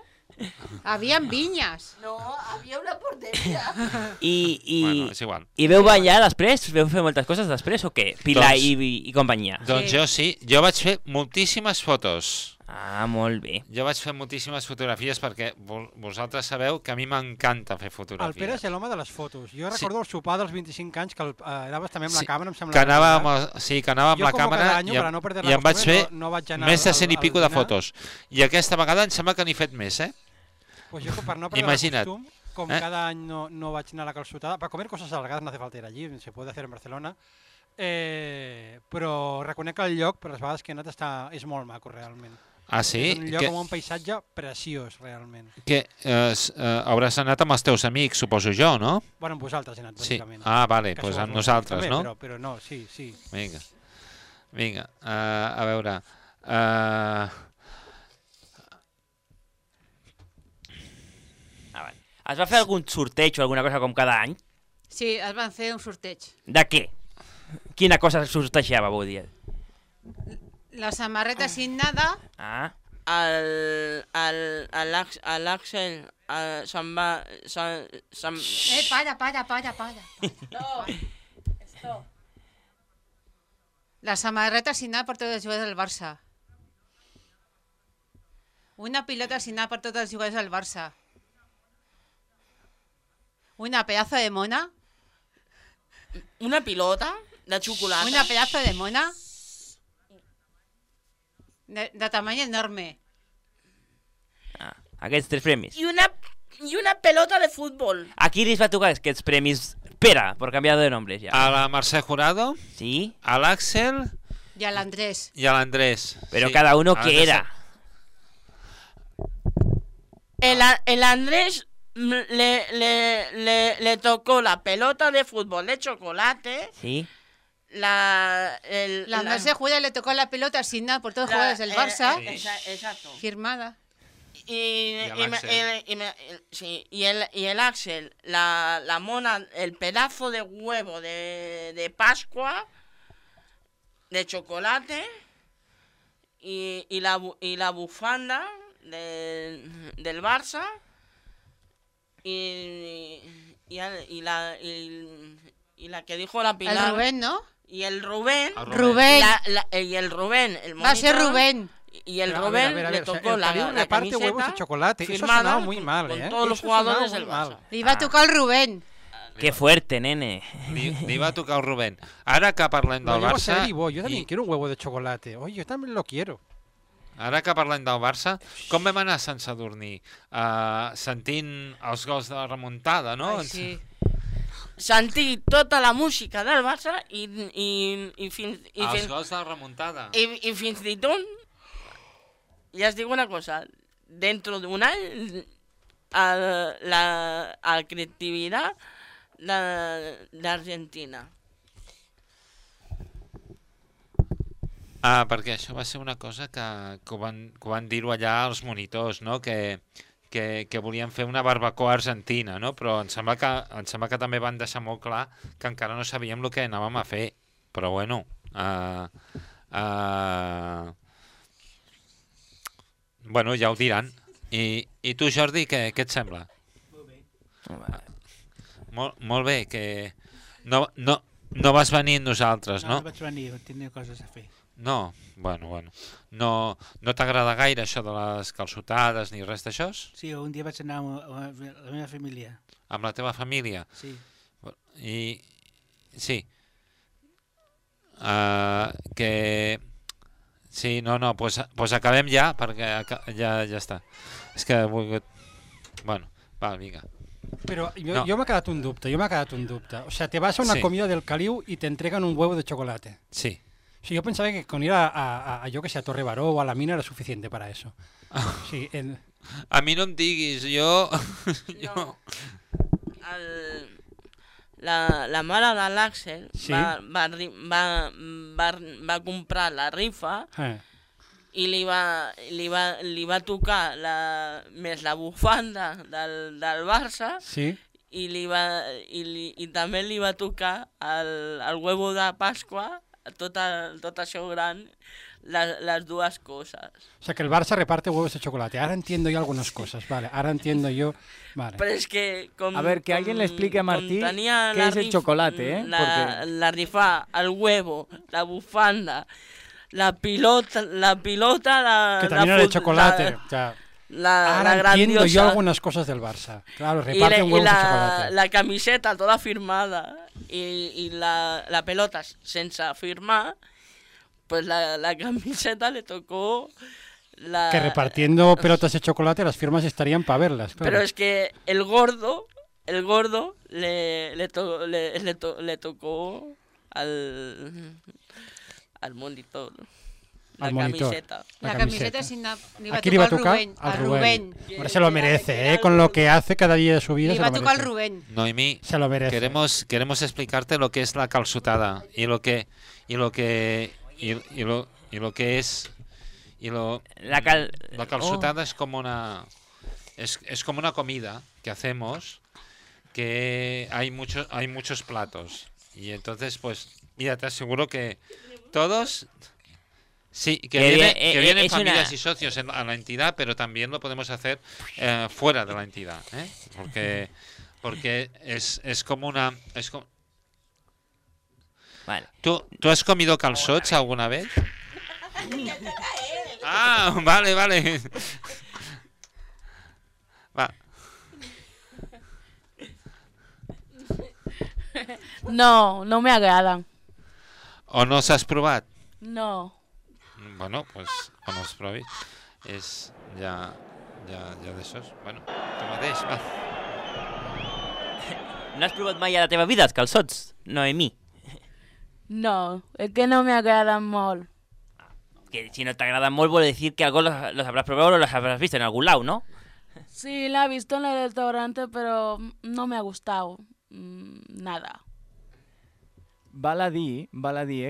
Havien vinyes. No, había una portería. Bueno, és igual. I veu ballar després? Veu fer moltes coses després o què? Pilar i companyia. Doncs jo sí. Jo vaig fer moltíssimes fotos. Ah, molt bé. Jo vaig fer moltíssimes fotografies perquè vosaltres sabeu que a mi m'encanta fer fotografies. El Pere és l'home de les fotos. Jo recordo el sopar dels 25 anys que anaves també amb la càmera, em sembla. Que anava amb la càmera i em vaig fer més de 100 i pico de fotos. I aquesta vegada em sembla que n'he fet més, Pues jo, per no perdre el costum, com cada any no vaig anar a la calçotada, para comer cosas alargadas no hace falta ir allí, se puede hacer en Barcelona, però reconec que el lloc, per les vegades que he anat, és molt maco, realment. Ah, sí? És un lloc amb un paisatge preciós, realment. Que hauràs anat amb els teus amics, suposo jo, no? Bueno, amb vosaltres he anat, bàsicament. Ah, vale, doncs amb nosaltres, no? Però no, sí. Vinga, a veure... Es va fer algun sorteig o alguna cosa com cada any? Sí, es van fer un sorteig. De què? Quina cosa sortejaven, vull dir? La samarreta signada. Ah. L'Àxel se'n va... Para. No, esto. La samarreta signada per tots els jugadors del Barça. Una pilota signada per tots els jugadors del Barça. Una pedazo de mona. Una pilota de xocolata. Una pedazo de mona. De tamany enorme. Aquests 3 premis. I una pelota de futbol. A qui li va tocar aquests premis? Pere, por cambiar de nombres ya. A la Mercè Jurado. Sí. A l'Àxel. I a l'Andrés. Y al Andrés. Pero cada uno que era. El Andrés le tocó la pelota de fútbol de chocolate. Sí. La Mercè Jurado le tocó la pelota asignada por todos los jugadores del Barça. Exacto. Firmada. Y el Axel, la mona, el pedazo de huevo de Pascua, de chocolate, y la bufanda del Barça, y la que dijo la Pilar. El Rubén, ¿no? Y el Rubén. Rubén. Y el Rubén. El va a ser Rubén. Y el Rubén le tocó la reparte camiseta huevos de chocolate. Eso ha firmada sonado muy mal, con todos los jugadores del Barça. Li va tocar el Rubén. Qué fuerte, nene. Li va tocar el Rubén. Ara que parlem del Barça... Yo también quiero un huevo de chocolate. Oye, yo también lo quiero. Ara que parlem del Barça, com vam anar a Sant Sadurní? Sentint els gols de la remuntada, no? Ai, sí. Sentir tota la música del Barça i fins... Els gols de la remuntada. I fins i tot, ja es diu una cosa, dentro de un any, la creatividad d'Argentina. Perquè això va ser una cosa que ho van dir-ho allà als monitors, no? Que volien fer una barbacoa argentina, no? Però em sembla que també van deixar molt clar que encara no sabíem el que anàvem a fer. Però bueno... Bueno, ja ho diran. I tu, Jordi, què et sembla? Molt bé, que no vas venir amb nosaltres, no? No vaig venir, tenia coses a fer. No, bueno. No t'agrada gaire això de les calçotades ni res d'això? Sí, un dia vaig anar amb la meva família. Amb la teva família? Sí. I... Sí. Que... Sí, no, pues acabem ja, perquè ja està. És que he volgut... Bueno, va, vinga. Pero yo me ha quedado un dubte, O sea, te vas a una comida del Caliu y te entregan un huevo de chocolate. Sí. Sí, yo pensaba que con ir a yo que sé, a Torre Baró o a la mina era suficiente para eso. Sí, A mi no em diguis, jo... No. la mare de l'Àxel Sí. va comprar la rifa i li va tocar més la bufanda del Barça Sí. i també li va tocar el huevo de Pasqua, tot això gran, las dues coses. O sea, que el Barça reparte huevos de chocolate. Ahora entiendo yo algunas cosas, vale. Ahora entiendo yo... Vale. Pero es que... A ver, que alguien le explique a Martí qué es el chocolate, ¿eh? La rifa, el huevo, la bufanda, la pilota, Que también era de chocolate. O sea, ahora la entiendo yo grandiosa. algunas cosas del Barça. Claro, reparten huevos de chocolate. La camiseta toda firmada y la pelota sense firmar, pues la camiseta le tocó... Que repartiendo pelotas de chocolate las firmas estarían para verlas. Claro. Pero es que el gordo le tocó al monitor. La camiseta. La camiseta sí li va Aquí le va a tocar al Rubén. Ahora se lo merece, ¿eh? Con lo que hace cada día de su vida. Li se va lo tocar al merece. Rubén. Noemí, Se lo merece. queremos explicarte lo que es la calçotada y lo que es la calçotada es como una comida que hacemos, que hay muchos platos y entonces pues mira, te aseguro que todos sí que vienen familias y socios a la entidad, pero también lo podemos hacer fuera de la entidad, ¿eh? porque es como una Vale. ¿Tú has comido calçots alguna vez? Ah, vale. Va. No me agradan. ¿O no os has provat? No. Bueno, pues quan els provis és ja d'aixòs. Bueno, tu mateix, va. No has provat mai a la teva vida els calçots, Noemí? No, es que no me agradan molt. Que si no te agradan molt, vuol decir que algo los habrás probado o los habrás visto en algún lado, ¿no? Sí, la he visto en el restaurante, pero no me ha gustado nada. Val a dir,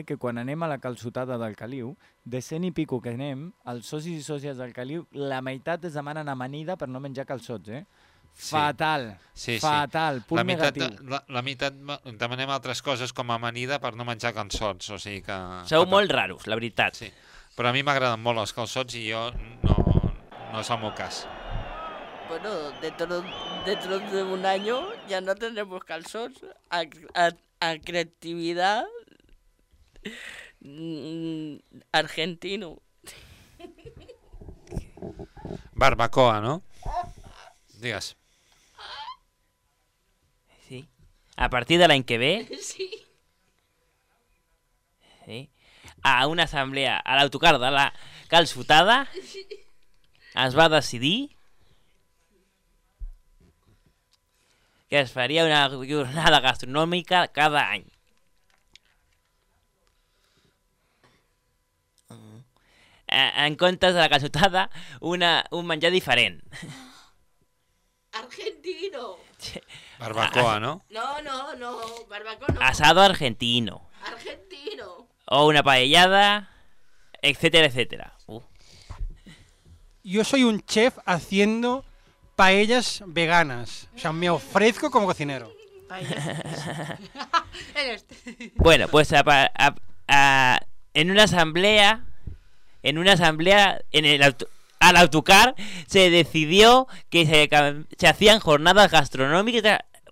que quan anem a la calçotada del Caliu, de 100 i pico que anem, els socis i sòcies del Caliu, la meitat es demanen amanida per no menjar calçots, eh? Sí. Fatal, fatal, punt negatiu. La meitat demanem altres coses com amanida per no menjar calçots, o sigui que... Sou molt raros, la veritat. Sí. Però a mi m'agraden molt els calçots i jo no és el meu cas. Bueno, dentro de un año ya no tendremos calzots. A creatividad argentino. Barbacoa, ¿no? Digues. Sí. A partir de l'any que ve... Sí. Sí. A una assemblea, a l'autocar de la calçotada, es va decidir que es faria una jornada gastronòmica cada any. En comptes de la calçotada, un menjar diferent. Argentino. Barbacoa, ¿no? No, barbacoa no. Asado argentino. Argentino. O una paellada, etcétera, etcétera. Yo soy un chef haciendo paellas veganas. O sea, me ofrezco como cocinero. Bueno, pues en una asamblea, al autocar se decidió que se hacían jornadas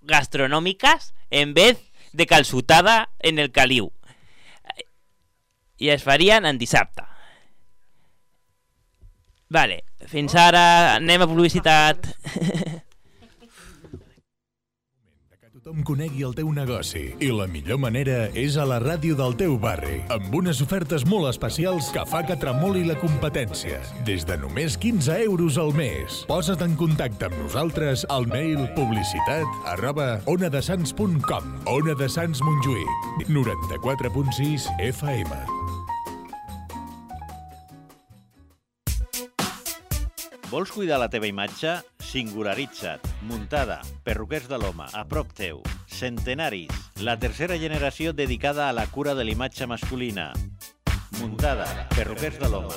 gastronòmiques en vez de calçotada en el Caliu. I es farien en dissabte. Vale, fins ara anem a publicitat. Tothom conegui el teu negoci i la millor manera és a la ràdio del teu barri, amb unes ofertes molt especials que fa que tremoli la competència. Des de només 15 euros al mes. Posa't en contacte amb nosaltres al mail publicitat@onadesans.com. Ona de Sants Montjuïc, 94.6 FM. Vols cuidar la teva imatge? Singularitza't. Muntada. Perruquers de l'Home. A prop teu. Centenaris, la tercera generació dedicada a la cura de l'imatge masculina. Muntada, perruquers de l'home.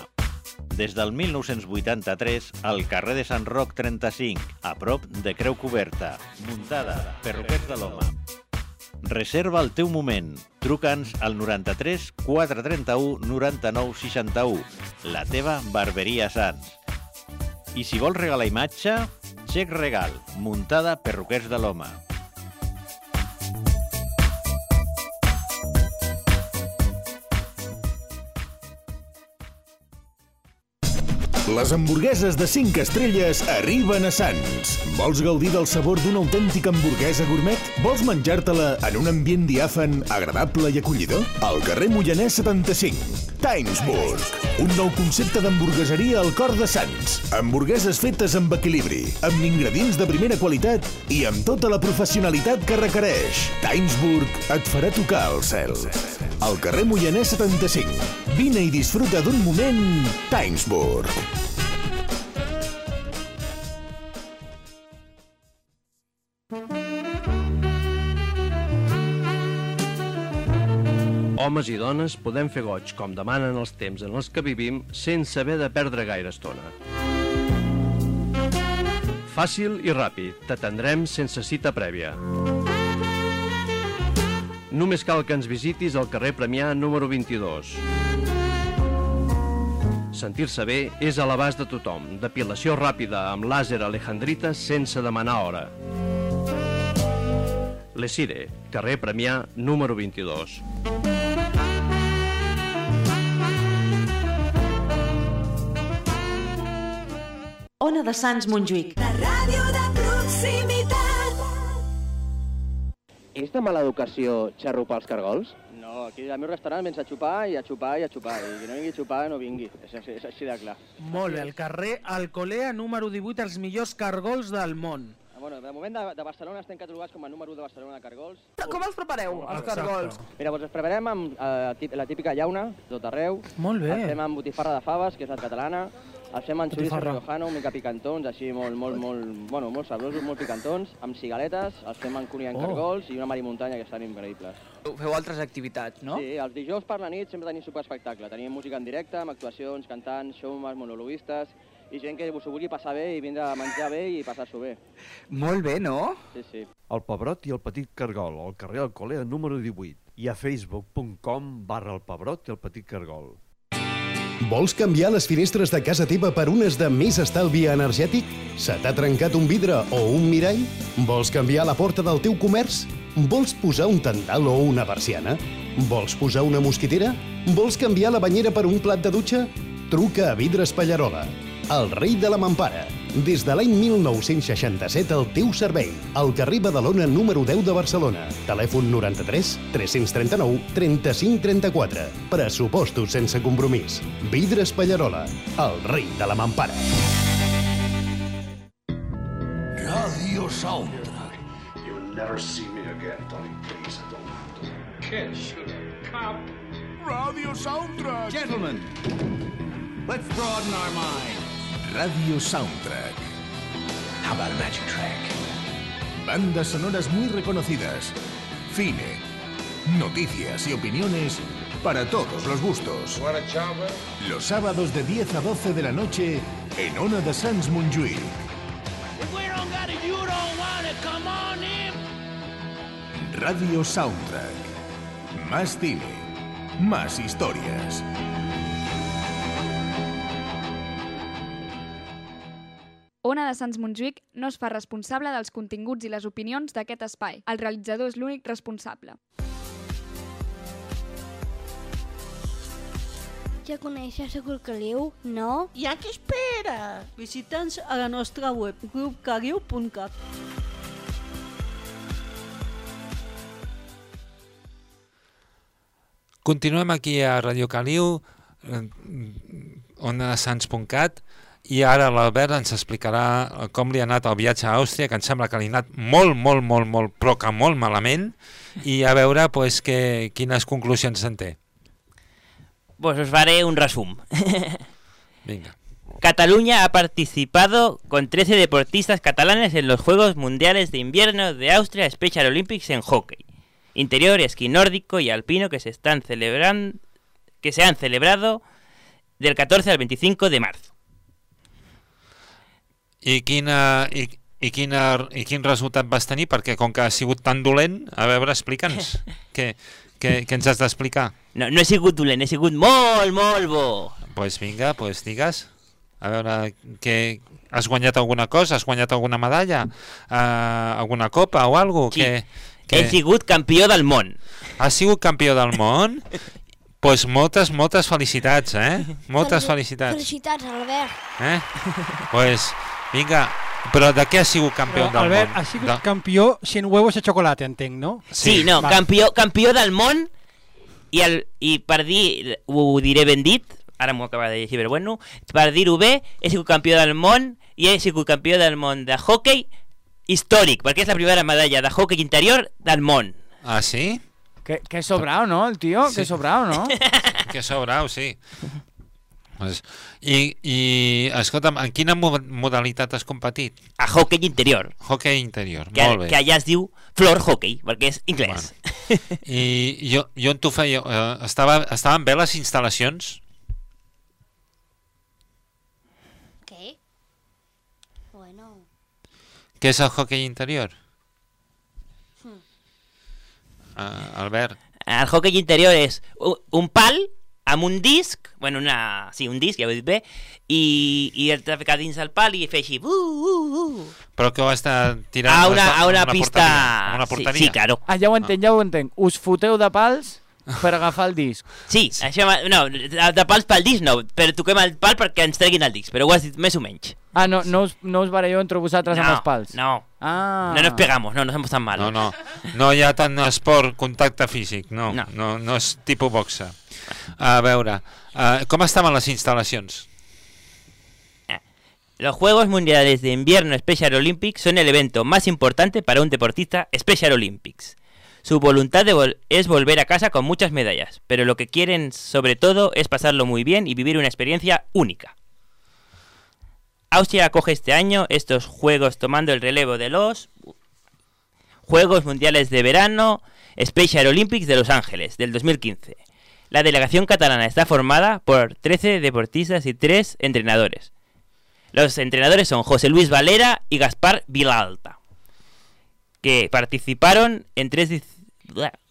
Des del 1983, al carrer de Sant Roc 35, a prop de Creu Coberta. Muntada, perruquers de l'home. Reserva el teu moment. Truca'ns al 93 431 99 61. La teva barberia Sants. I si vols regalar imatge, xec regal. Muntada, perruquers de l'home. Les hamburgueses de 5 estrelles arriben a Sants. Vols gaudir del sabor d'una autèntica hamburguesa gourmet? Vols menjar-te-la en un ambient diàfan, agradable i acollidor? Al carrer Moianès 75, Timesburg. Un nou concepte d'hamburgueseria al cor de Sants. Hamburgueses fetes amb equilibri, amb ingredients de primera qualitat i amb tota la professionalitat que requereix. Timesburg et farà tocar el cel. Al carrer Moianès 75. Vine i disfruta d'un moment Timesburg. Homes i dones podem fer goig com demanen els temps en els que vivim sense haver de perdre gaire estona. Fàcil i ràpid, t'atendrem sense cita prèvia. Només cal que ens visitis al carrer Premià número 22. Sentir-se bé és a l'abast de tothom. Depilació ràpida amb làser alejandrita sense demanar hora. Lesire, carrer Premià número 22. Ona de Sants Montjuïc. La ràdio de proximitat. És de mala educació xarrupar els cargols? No, aquí al meu restaurant vens a xupar i a xupar i a xupar. I qui no vingui a xupar, no vingui. És així de clar. Molt bé, al carrer Alcolea, número 18, els millors cargols del món. Bueno, de moment de Barcelona estem catalogats com a número 1 de Barcelona de cargols. Com els prepareu, els cargols? Mira, doncs els preparem amb la típica llauna, tot arreu. Molt bé. Els fem amb botifarra de faves, que és la catalana. Els fem amb xoriços riojano, una mica picantons, així molt sabrosos, molt picantons. Amb cigaletes, els fem amb cunyant cargols i una marimuntanya que estan increïbles. Feu altres activitats, no? Sí, els dijous per la nit sempre tenim superespectacle. Tenim música en directe, amb actuacions, cantants, showmans, monologuistes i gent que s'ho vulgui passar bé i vindre a menjar bé i passar-s'ho bé. Molt bé, no? Sí, sí. El Pebrot i el Petit Cargol, al carrer Alcolea número 18 i a facebook.com/el Pebrot i el Petit Cargol. Vols canviar les finestres de casa teva per unes de més estalvi energètic? Se t'ha trencat un vidre o un mirall? Vols canviar la porta del teu comerç? Vols posar un tendal o una persiana? Vols posar una mosquitera? Vols canviar la banyera per un plat de dutxa? Truca a Vidres Pallarola, el rei de la mampara. Des de l'any 1967 al teu servei. Al carrer Badalona número 10 de Barcelona. Telèfon 93 339 35 34. Pressupostos sense compromís. Vidres Pallarola, el rei de la mampara. Radio Soundtrack. You'll never see me again, Tony. Please, I don't want to. Kid, shoot a cop. Radio Soundtrack. Gentlemen, let's broaden our minds. Radio Soundtrack. How about a magic track? Bandas sonoras muy reconocidas. Cine, noticias y opiniones para todos los gustos. Los sábados de 10 a 12 de la noche en Ona de Sants Montjuïc. Radio Soundtrack. Más cine, más historias. Ona de Sants Montjuïc no es fa responsable dels continguts i les opinions d'aquest espai. El realitzador és l'únic responsable. Ja coneixes a Caliu, no? I a què espera? Visita'ns a la nostra web, grupcaliu.cat. Continuem aquí a Radio Caliu, onadesans.cat, i ara l'Albert ens explicarà com li ha anat el viatge a Àustria, que em sembla que li ha anat molt, però que molt malament, i a veure quines conclusions en té. Pues us faré un resum. Vinga. Cataluña ha participado con 13 deportistas catalanes en los Juegos Mundiales de Invierno de Austria Special Olympics en hockey interior, esquí nórdico y alpino que se han celebrado del 14 al 25 de marzo. I quin resultat vas tenir? Perquè com que ha sigut tan dolent, a veure, explica'ns. Què ens has d'explicar? No he sigut dolent, he sigut molt, molt bo. Pues vinga, pues digues. A veure, has guanyat alguna cosa? Has guanyat alguna medalla? Alguna copa o alguna cosa? Sí, he sigut campió del món. Has sigut campió del món? Pues moltes felicitats, Moltes felicitats. Felicitats, Albert. Pues vinga, però de què has sigut campió del món? Albert, has sigut campió 100 huevos de chocolate, entenc, no? Sí, no, campió del món i per dir, ho diré ben dit, ara m'ho acaba de llegir, però bueno, per dir-ho bé, he sigut campió del món i he sigut campió del món de hockey històric, perquè és la primera medalla de hockey interior del món. Ah, sí? Que sobrao, ¿no? El tío, sí. Que sobrao, ¿no? Que sobrao, sí. Pues, I escolta'm, en quina modalitat has competit? A hockey interior. Hockey interior, molt bé. Que allà es diu floor hockey, perquè és anglès. Bueno. I jo on t'ho feia? Estaven bé les instal·lacions? Què? Bueno... Què és el hockey interior? Albert. El hockey interior és un pal amb un disc, bueno, un disc, ja ho he dit bé, i el ficar dins el pal i fer així... Però que ho està tirant a una pista... A una porteria? Sí, claro. Ja ho entenc. Us foteu de pals per agafar el disc. Sí, això, no, de pals pel disc no, però toquem el pal perquè ens treguin el disc, però ho has dit més o menys. Ah, no us baralleu entre vosaltres amb els pals? No. Ah. No nos pegamos, no somos tan malos. No hi ha tant esport, contacte físic, no és tipus boxa. A veure, com estaven les instal·lacions? Los Juegos Mundiales de Invierno Special Olympics son el evento más importante para un deportista Special Olympics. Su voluntad es volver a casa con muchas medallas, pero lo que quieren sobre todo es pasarlo muy bien y vivir una experiencia única. Austria acoge este año estos Juegos tomando el relevo de los Juegos Mundiales de Verano Special Olympics de Los Ángeles del 2015. La delegación catalana está formada por 13 deportistas y 3 entrenadores. Los entrenadores son José Luis Valera y Gaspar Vilalta, que participaron en 3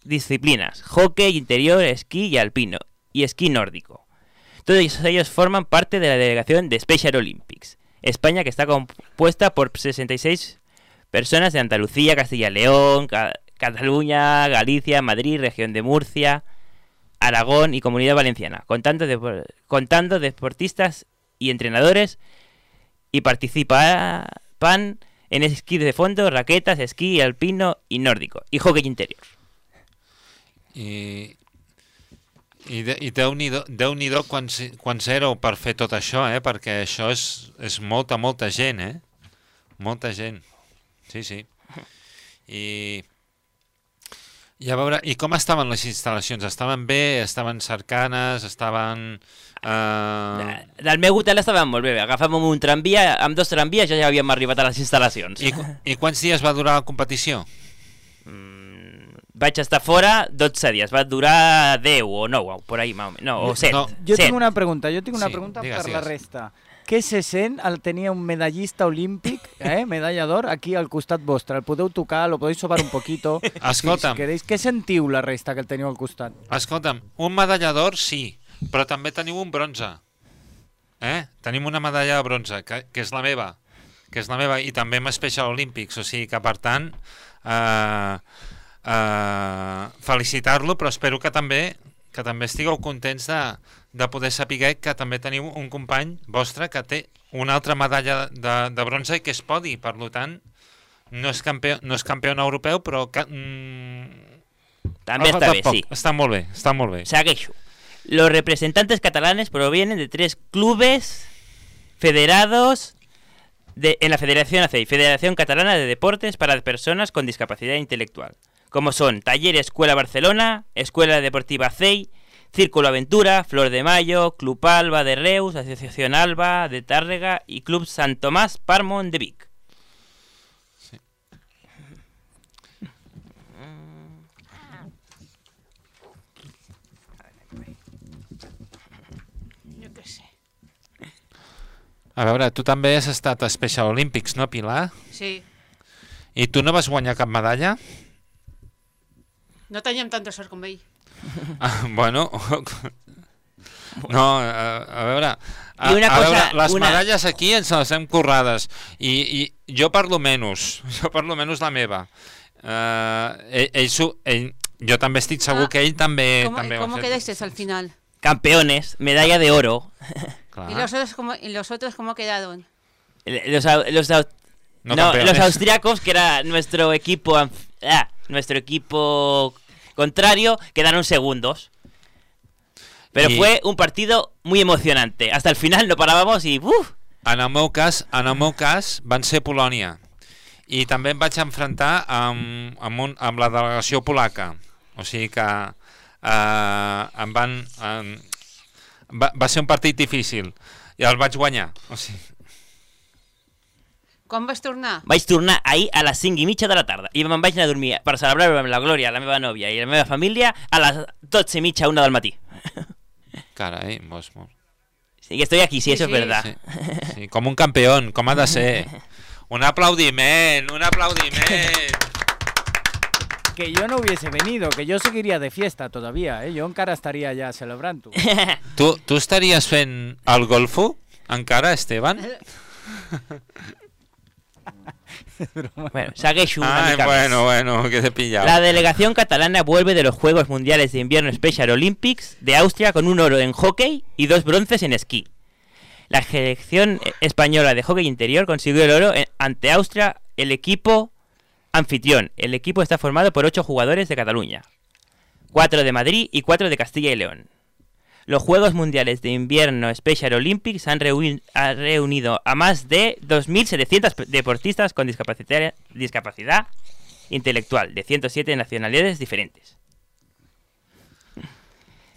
disciplinas: hockey interior, esquí y alpino, y esquí nórdico. Todos ellos forman parte de la delegación de Special Olympics. España, que está compuesta por 66 personas de Andalucía, Castilla y León, Cataluña, Galicia, Madrid, región de Murcia, Aragón y Comunidad Valenciana, contando deportistas y entrenadores, y participan en esquí de fondo, raquetas, esquí alpino y nórdico, y hockey interior. I Déu-n'hi-do quants éreu per fer tot això, perquè això és molta gent, Molta gent. Sí. I a veure, i com estaven les instal·lacions? Estaven bé? Estaven cercanes? Estaven... Del meu hotel estaven molt bé. Agafàvem un tramvia, amb 2 tramvies ja havíem arribat a les instal·lacions. I quants dies va durar la competició? Vaig estar fora 12 dies, va durar 10 o 9, por ahí, o 7. Jo tinc una pregunta, per la resta. Què se sent al tenir un medallista olímpic, medalla d'or, aquí al costat vostre? El podeu tocar, lo podeu sobar un poquito. Escolta'm. Si queréis, què sentiu la resta que el teniu al costat? Escolta'm, un medalla d'or sí, però també teniu un bronze. Tenim una medalla de bronze, que és la meva, i també amb Special Olympics, o sigui que per tant... felicitar-lo, però espero que també estigueu contents de poder saber que també teniu un company vostre que té una altra medalla de bronze i que és podi, per tant no és campió europeu, però també està bé, sí. Està molt bé. Segueixo. Los representantes catalanes provienen de 3 clubes federados en la Federación ACEI, Federación Catalana de Deportes para Personas con Discapacidad Intelectual, como son Taller Escuela Barcelona, Escuela Deportiva ACEI, Círculo Aventura, Flor de Mayo, Club Alba de Reus, Asociación Alba de Tàrrega y Club Sant Tomàs Parmon de Vic. Jo què sé. A veure, tu també has estat a Special Olympics, no, Pilar? Sí. I tu no vas guanyar cap medalla? No teníem tanta sort com ell. Bueno... No, a veure... I una cosa, veure, les una... medalles aquí ens les hem currades i jo parlo menys la meva. Jo també estic segur que ell també... ¿Cómo quedasteis al final? Campeones, medalla de oro. ¿Y los otros cómo quedaron? Los campeones. austriacos, que era nuestro equipo contrario, quedaron segundos. Pero fue un partido muy emocionante. Hasta el final no parábamos y... En el meu cas van ser Polònia. I també em vaig enfrontar amb la delegació polaca. O sigui que va ser un partit difícil. I el vaig guanyar. O sigui... Quan vas tornar? Vaig tornar ahir a les 5:30 de la tarda i me'n vaig anar a dormir per celebrar-ho amb la Glòria, la meva nòvia i la meva família a les 12:30, 1 del matí. Carai, molt. Sí, que estoy aquí, sí, eso es verdad. Sí, com un campeón, com ha de ser. Un aplaudiment. Que yo no hubiese venido, que yo seguiría de fiesta todavía, ¿eh? Yo encara estaría ya celebrando. Tu estaries fent el golfo encara, Esteban? Bueno, segueixo una mica bueno, que te he pillado. La delegación catalana vuelve de los Juegos Mundiales de Invierno Special Olympics de Austria con un oro en hockey y 2 bronces en esquí. La selección española de hockey interior consiguió el oro ante Austria, el equipo anfitrión. El equipo está formado por 8 jugadores de Cataluña, 4 de Madrid y 4 de Castilla y León. Los Juegos Mundiales de Invierno Special Olympics han reunido a más de 2.700 deportistas con discapacidad intelectual de 107 nacionalidades diferentes.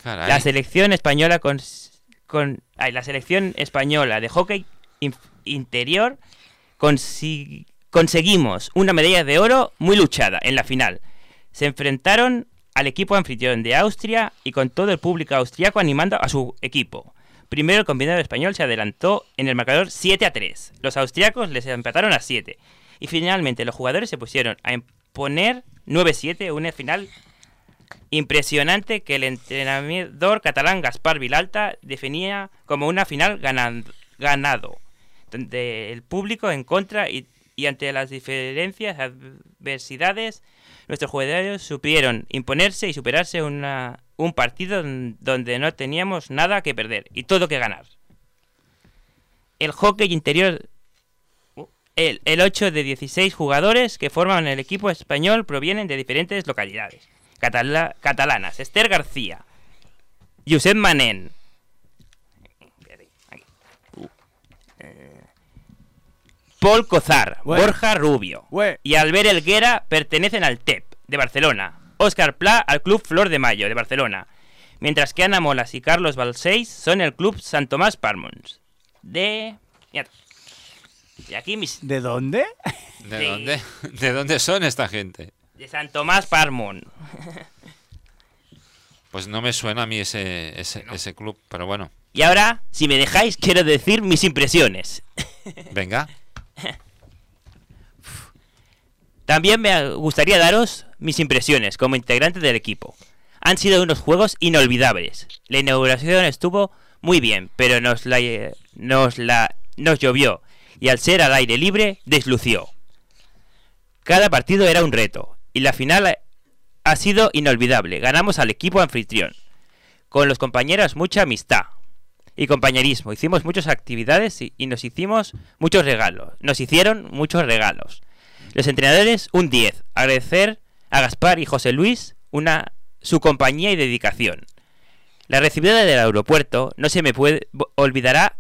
Caray. La selección española la selección española de hockey interior conseguimos una medalla de oro muy luchada en la final. Se enfrentaron al equipo anfitrión de Austria y con todo el público austriaco animando a su equipo. Primero el combinado español se adelantó en el marcador 7-3. Los austriacos les empataron a 7. Y finalmente los jugadores se pusieron a imponer 9-7, una final impresionante que el entrenador catalán Gaspar Vilalta definía como una final ganado, donde el público en contra y ante las diferencias, adversidades, nuestros jugadores supieron imponerse y superarse un partido donde no teníamos nada que perder y todo que ganar. El hockey interior, el 8 de 16 jugadores que forman el equipo español provienen de diferentes localidades catalanas. Esther García, Josep Manent, Paul Cozar, Borja Rubio y Albert Elguera pertenecen al TEP de Barcelona. Óscar Pla al Club Flor de Mayo de Barcelona. Mientras que Ana Molas y Carlos Balseis son el Club Sant Tomàs Parmons de... Y aquí ¿De dónde? ¿De dónde son esta gente? De Sant Tomàs Parmon. Pues no me suena a mí ese club, pero bueno. Y ahora, si me dejáis, quiero decir mis impresiones. Venga. También me gustaría daros mis impresiones como integrante del equipo. Han sido unos juegos inolvidables. La inauguración estuvo muy bien, pero nos llovió y al ser al aire libre deslució. Cada partido era un reto y la final ha sido inolvidable. Ganamos al equipo anfitrión. Con los compañeros mucha amistad y compañerismo. Hicimos muchas actividades y nos hicieron muchos regalos. Los entrenadores, un 10. Agradecer a Gaspar y José Luis su compañía y dedicación. La recibida del aeropuerto no se me olvidará.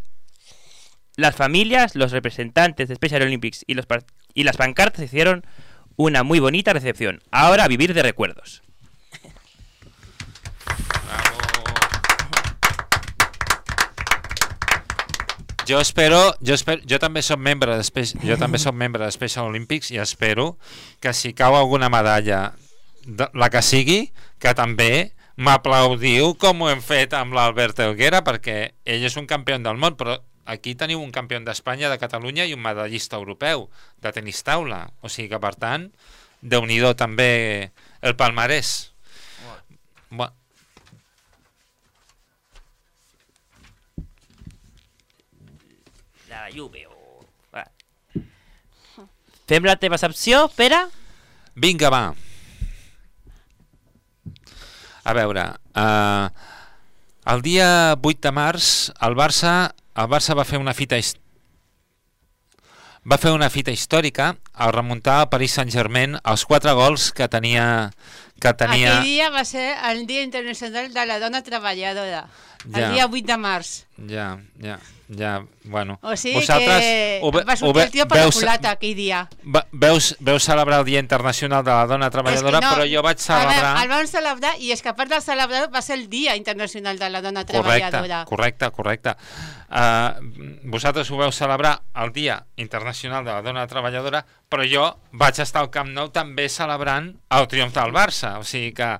Las familias, los representantes de Special Olympics y las pancartas hicieron una muy bonita recepción. Ahora a vivir de recuerdos. Bravo. Jo també soc membre de Special Olympics i espero que si cau alguna medalla, la que sigui, que també m'aplaudiu com ho hem fet amb l'Albert Helguera, perquè ell és un campió del món, però aquí teniu un campió d'Espanya, de Catalunya i un medallista europeu de tenis taula, o sigui que per tant Déu-n'hi-do també el palmarès. Bueno. La Juve. Fem la teva secció, Pere? Vinga, va. A veure, el dia 8 de març el Barça va fer una fita històrica al remuntar al Paris Saint-Germain els 4 gols que tenia... Aquell dia va ser el Dia Internacional de la Dona Treballadora, el dia 8 de març. Ja, bueno. O sigui que va sortir el tio per la culata aquell dia. Veu celebrar el Dia Internacional de la Dona Treballadora, però jo vaig celebrar... El vam celebrar, i és que a part de celebrar va ser el Dia Internacional de la Dona Treballadora. Correcte. Vosaltres ho veu celebrar el Dia Internacional de la Dona Treballadora, però jo vaig estar al Camp Nou també celebrant el triomf del Barça, o sigui que,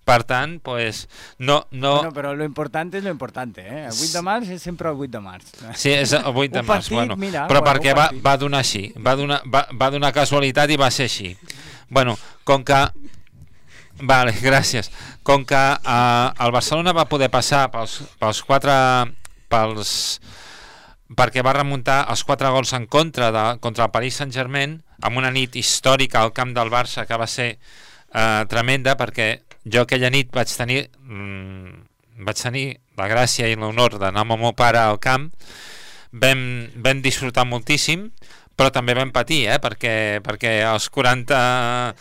per tant, pues, no... Bueno, però lo importante és lo importante, eh? El 8 de març és sempre el 8 de març. Sí, és el 8 de març, bueno, però perquè va donar així, va donar casualitat i va ser així. Bueno, com que... Vale, gràcies. Com que el Barcelona va poder passar perquè va remuntar els 4 gols en contra contra el Paris Saint-Germain amb una nit històrica al camp del Barça que va ser tremenda, perquè jo aquella nit vaig tenir la gràcia i l'honor d'anar amb el meu pare al camp. Vam disfrutar moltíssim, però també vam patir, perquè els 40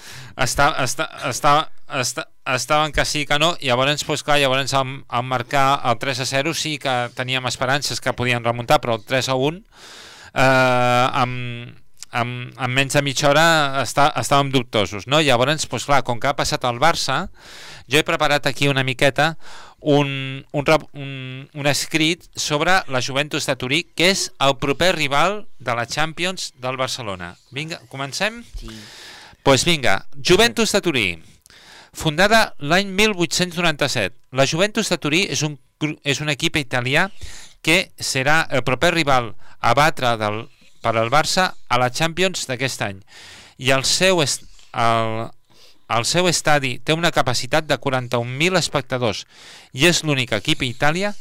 estaven que sí que no, i llavors, pues, clar, al marcar el 3-0 sí que teníem esperances que podien remuntar, però el 3-1 amb menys de mitja hora estàvem dubtosos, no? Llavors, pues, clar, com que ha passat al Barça, jo he preparat aquí una miqueta un escrit sobre la Juventus de Turí, que és el proper rival de la Champions del Barcelona. Vinga, comencem? Sí. Pues vinga, Juventus de Turí, fundada l'any 1897. La Juventus de Turí és un equip italià que serà el proper rival a batre per al Barça a la Champions d'aquest any. I el seu estadi té una capacitat de 41.000 espectadors i és l'únic equip a Itàlia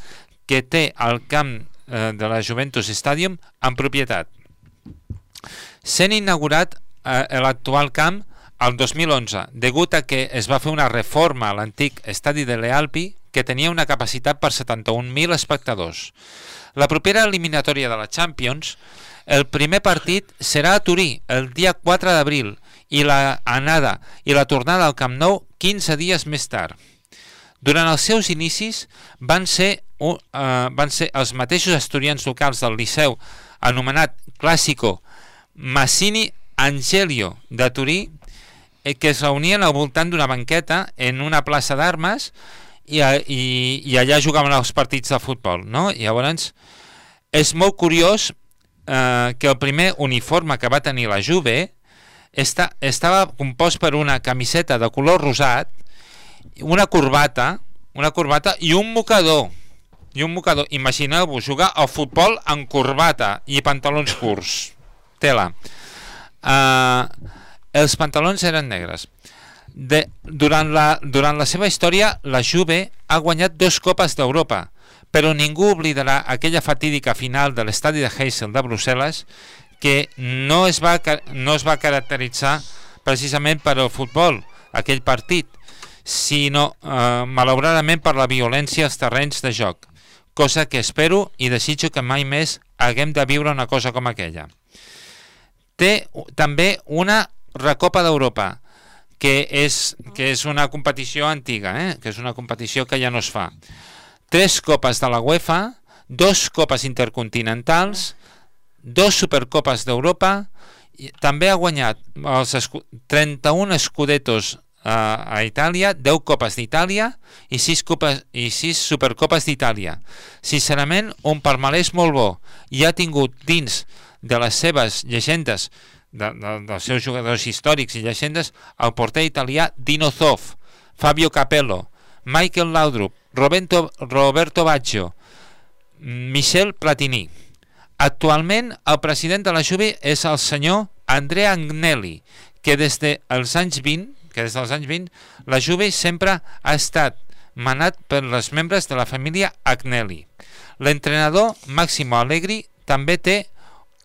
que té el camp de la Juventus Stadium en propietat. Sent inaugurat l'actual camp el 2011, degut a que es va fer una reforma a l'antic estadi de l'Ealpi que tenia una capacitat per 71.000 espectadors. La propera eliminatòria de la Champions, el primer partit serà a Turí el dia 4 d'abril i la anada i la tornada al Camp Nou 15 dies més tard. Durant els seus inicis van ser els mateixos estudiants locals del Liceu anomenat Clásico Massini Angelio de Turí que es reunien al voltant d'una banqueta en una plaça d'armes i allà jugaven els partits de futbol, no? I llavors és molt curiós que el primer uniforme que va tenir la Juve estava compost per una camiseta de color rosat, una corbata i un mocador. Imagineu-vos jugar al futbol en corbata i pantalons curts. Tela. Els pantalons eren negres. Durant la seva història, la Juve ha guanyat 2 copes d'Europa, però ningú oblidarà aquella fatídica final de l'estadi de Heysel de Brussel·les que no es va caracteritzar precisament per al futbol, aquell partit, sinó malauradament per la violència als terrenys de joc, cosa que espero i desitjo que mai més haguem de viure una cosa com aquella. Té també una Recopa d'Europa, que és una competició antiga, que és una competició que ja no es fa. 3 copes de la UEFA, 2 copes intercontinentals, 2 supercopes d'Europa, també ha guanyat els 31 escudetos a Itàlia, 10 Copes d'Itàlia i 6 Supercopes d'Itàlia. Sincerament, un palmarès molt bo. I ha tingut dins de les seves llegendes, dels seus jugadors històrics i llegendes, el porter italià Dino Zoff, Fabio Capello, Michael Laudrup, Roberto Baggio, Michel Platini. Actualment, el president de la Juve és el senyor Andrea Agnelli, que des dels anys 20, la Juve sempre ha estat manat per els membres de la família Agnelli. L'entrenador Massimo Allegri també té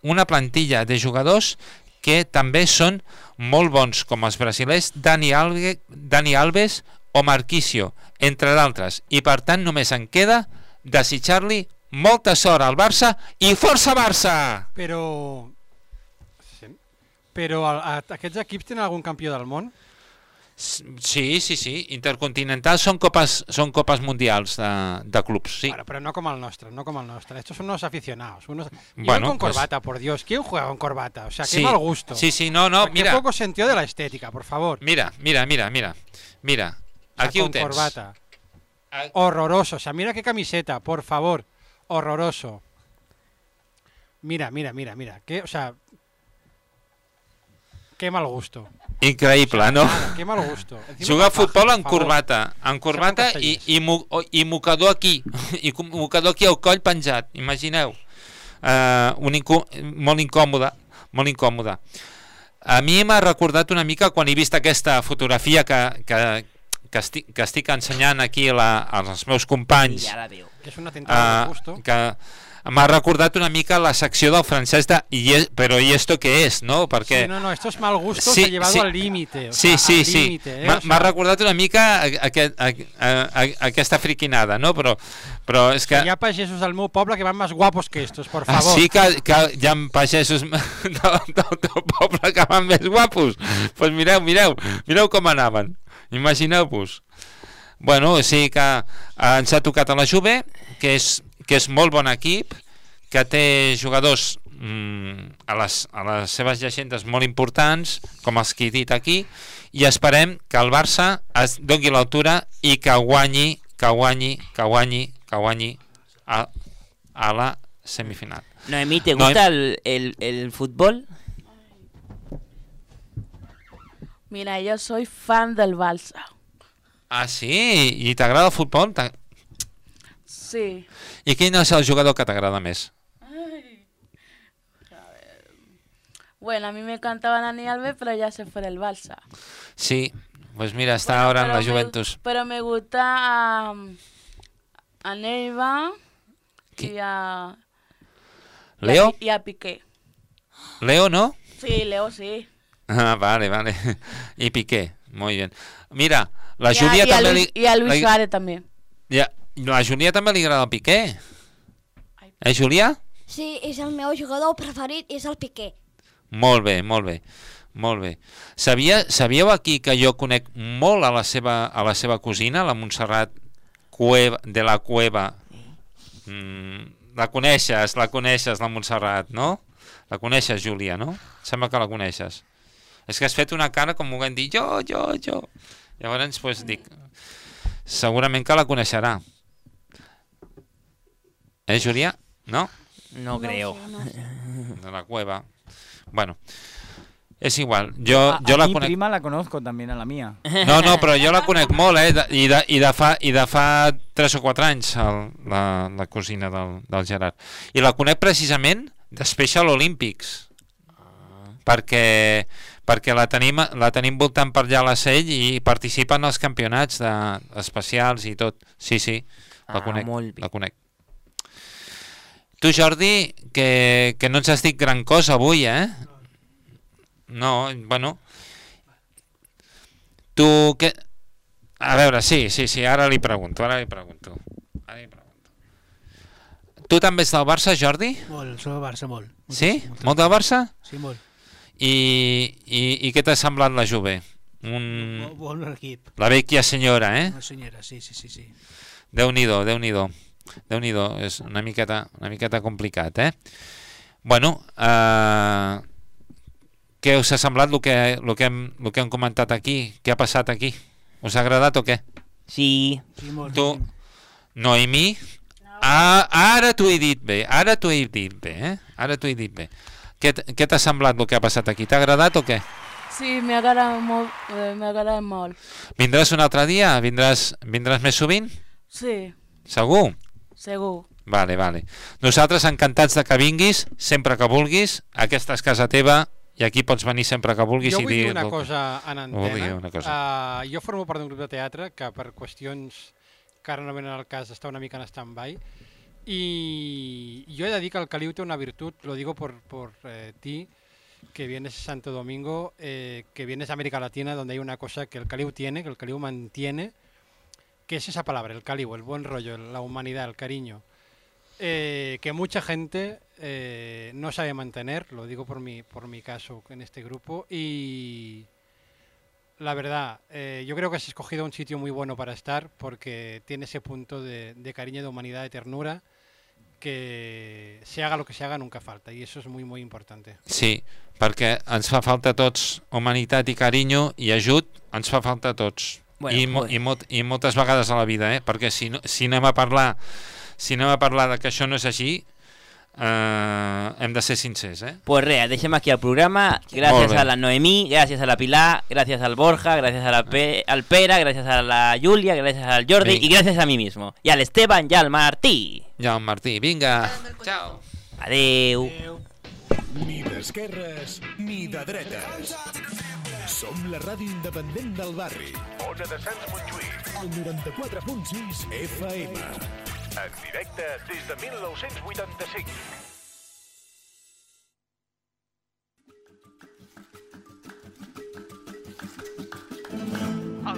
una plantilla de jugadors que també són molt bons, com els brasilers Dani Alves o Marquisio, entre d'altres, i per tant només en queda desitjar-li molta sort al Barça i força Barça! Però aquests equips tenen algun campió del món? Sí, intercontinentals són copes mundials de clubs, sí. Pero no como el nuestro, Estos son unos aficionados. Bueno, con corbata, por Dios. ¿Quién juega con corbata? O sea, qué mal gusto. Sí, no, mira. Qué poco sentido de la estética, por favor. Mira. Aquí ho tens. Con corbata. Horroroso. O sea, mira qué camiseta, por favor. Horroroso. Mira. O sea, qué mal gusto. Increïble, no? Qué mal gusto. Jugar a futbol en corbata i mocador aquí, i mocador aquí al coll penjat, imagineu. Molt incòmode. A mi m'ha recordat una mica quan he vist aquesta fotografia que estic ensenyant aquí als meus companys, que és un atentado de gusto. que m'ha recordat una mica la secció del francès de però ¿y esto qué es? No, perquè... Sí, no, esto es mal gusto, se ha llevado al límite. Sí. M'ha recordat una mica aquesta friquinada, no? Però és que... Hi ha pagesos del meu poble que van més guapos que estos, por favor. Sí que hi ha pagesos del teu poble que van més guapos. Doncs mireu com anaven. Imagineu-vos. Bueno, sí que ens ha tocat a la Juve, que és molt bon equip, que té jugadors a les seves llegendes molt importants, com els que he dit aquí, i esperem que el Barça es doni l'altura i que guanyi a la semifinal. Noemí, ¿te gusta el fútbol? Mira, yo soy fan del Barça. Ah, sí? I t'agrada el futbol? Sí. I quin és el jugador que t'agrada més? Bueno, a mí me encantaba Dani Alves, pero ya se fue del Barça. Sí, pues mira, está ahora en la Juventus. Pero me gusta a Neiva y a... ¿Leo? Y a Piqué. ¿Leo no? Sí, Leo sí. Ah, vale. Y Piqué, muy bien. Mira, la Júlia també... Y a Luis Suárez también. Ja, la Júlia també li agrada el Piqué. Júlia? Sí, és el meu jugador preferit, és el Piqué. Molt bé. Sabíeu aquí que jo conec molt a la seva cosina, la Montserrat de la Cueva? La coneixes, la Montserrat, no? La coneixes, Júlia, no? Sembla que la coneixes. És que has fet una cara com volent dir jo. Llavors, pues, dic, segurament que la coneixerà. Júlia? No? No creo. De la Cueva. Bueno, es igual. Yo la mi conec... prima la conozco también, a la mía. No, però jo la conec molt, i de fa 3 o 4 anys, la cosina del Gerard. I la conec precisament de Special Olympics, perquè la tenim voltant per allà a la Sell i participa en els campionats especials i tot. Sí, la conec. Tu, Jordi, que no ens has dit gran cosa avui, No, bueno. Tu, què... A veure, sí, ara li pregunto. Tu també ets del Barça, Jordi? Molt, soc del Barça, molt. Sí? Molt del Barça? Sí, molt. I què t'ha semblat la Juve? Bon equip. La vecchia senyora, Una senyora, sí. Déu-n'hi-do. És una miqueta complicat, Bueno, què us ha semblat el que hem comentat aquí? Què ha passat aquí? Us ha agradat o què? Sí. Tu, Noemí? Ara t'ho he dit bé, Ara t'ho he dit bé. Què t'ha semblat el que ha passat aquí? T'ha agradat o què? Sí, m'ha agradat molt. Vindràs un altre dia? Vindràs més sovint? Sí. Segur? Segur. Vale. Nosaltres encantats de que vinguis, sempre que vulguis. Aquesta és casa teva i aquí pots venir sempre que vulguis. Jo vull dir una cosa en antena. Jo formo part d'un grup de teatre que per qüestions que ara no venen al cas està una mica en stand-by y yo he de dir que el Caliu té una virtud, lo digo por ti, que vienes a Santo Domingo, que vienes a América Latina, donde hay una cosa que el Caliu tiene, que el Caliu mantiene, que es esa palabra, el Caliu, el buen rollo, la humanidad, el cariño, que mucha gente no sabe mantener, lo digo por mi caso en este grupo, y la verdad, yo creo que has escogido un sitio muy bueno para estar, porque tiene ese punto de cariño, de humanidad, de ternura, que se haga lo que se haga nunca falta, y eso es muy, muy importante. Sí, perquè ens fa falta a tots humanitat i carinyo i ajut, ens fa falta a tots. Bueno, I moltes vegades a la vida, perquè si anem a parlar de que això no és així, hem de ser sincers. Pues res, deixem aquí el programa. Gràcies a la Noemí, gràcies a la Pilar, gràcies al Borja, gràcies al Pere, gràcies a la Júlia, gràcies al Jordi i gràcies a mi mismo. I al Esteban i al Martí. Vinga. Ciao. Adeu. Ni d'esquerres ni de dretes. Som la ràdio independent del barri. Ona de Sants Montjuïc. El 94.6 FM. En directe des de 1985.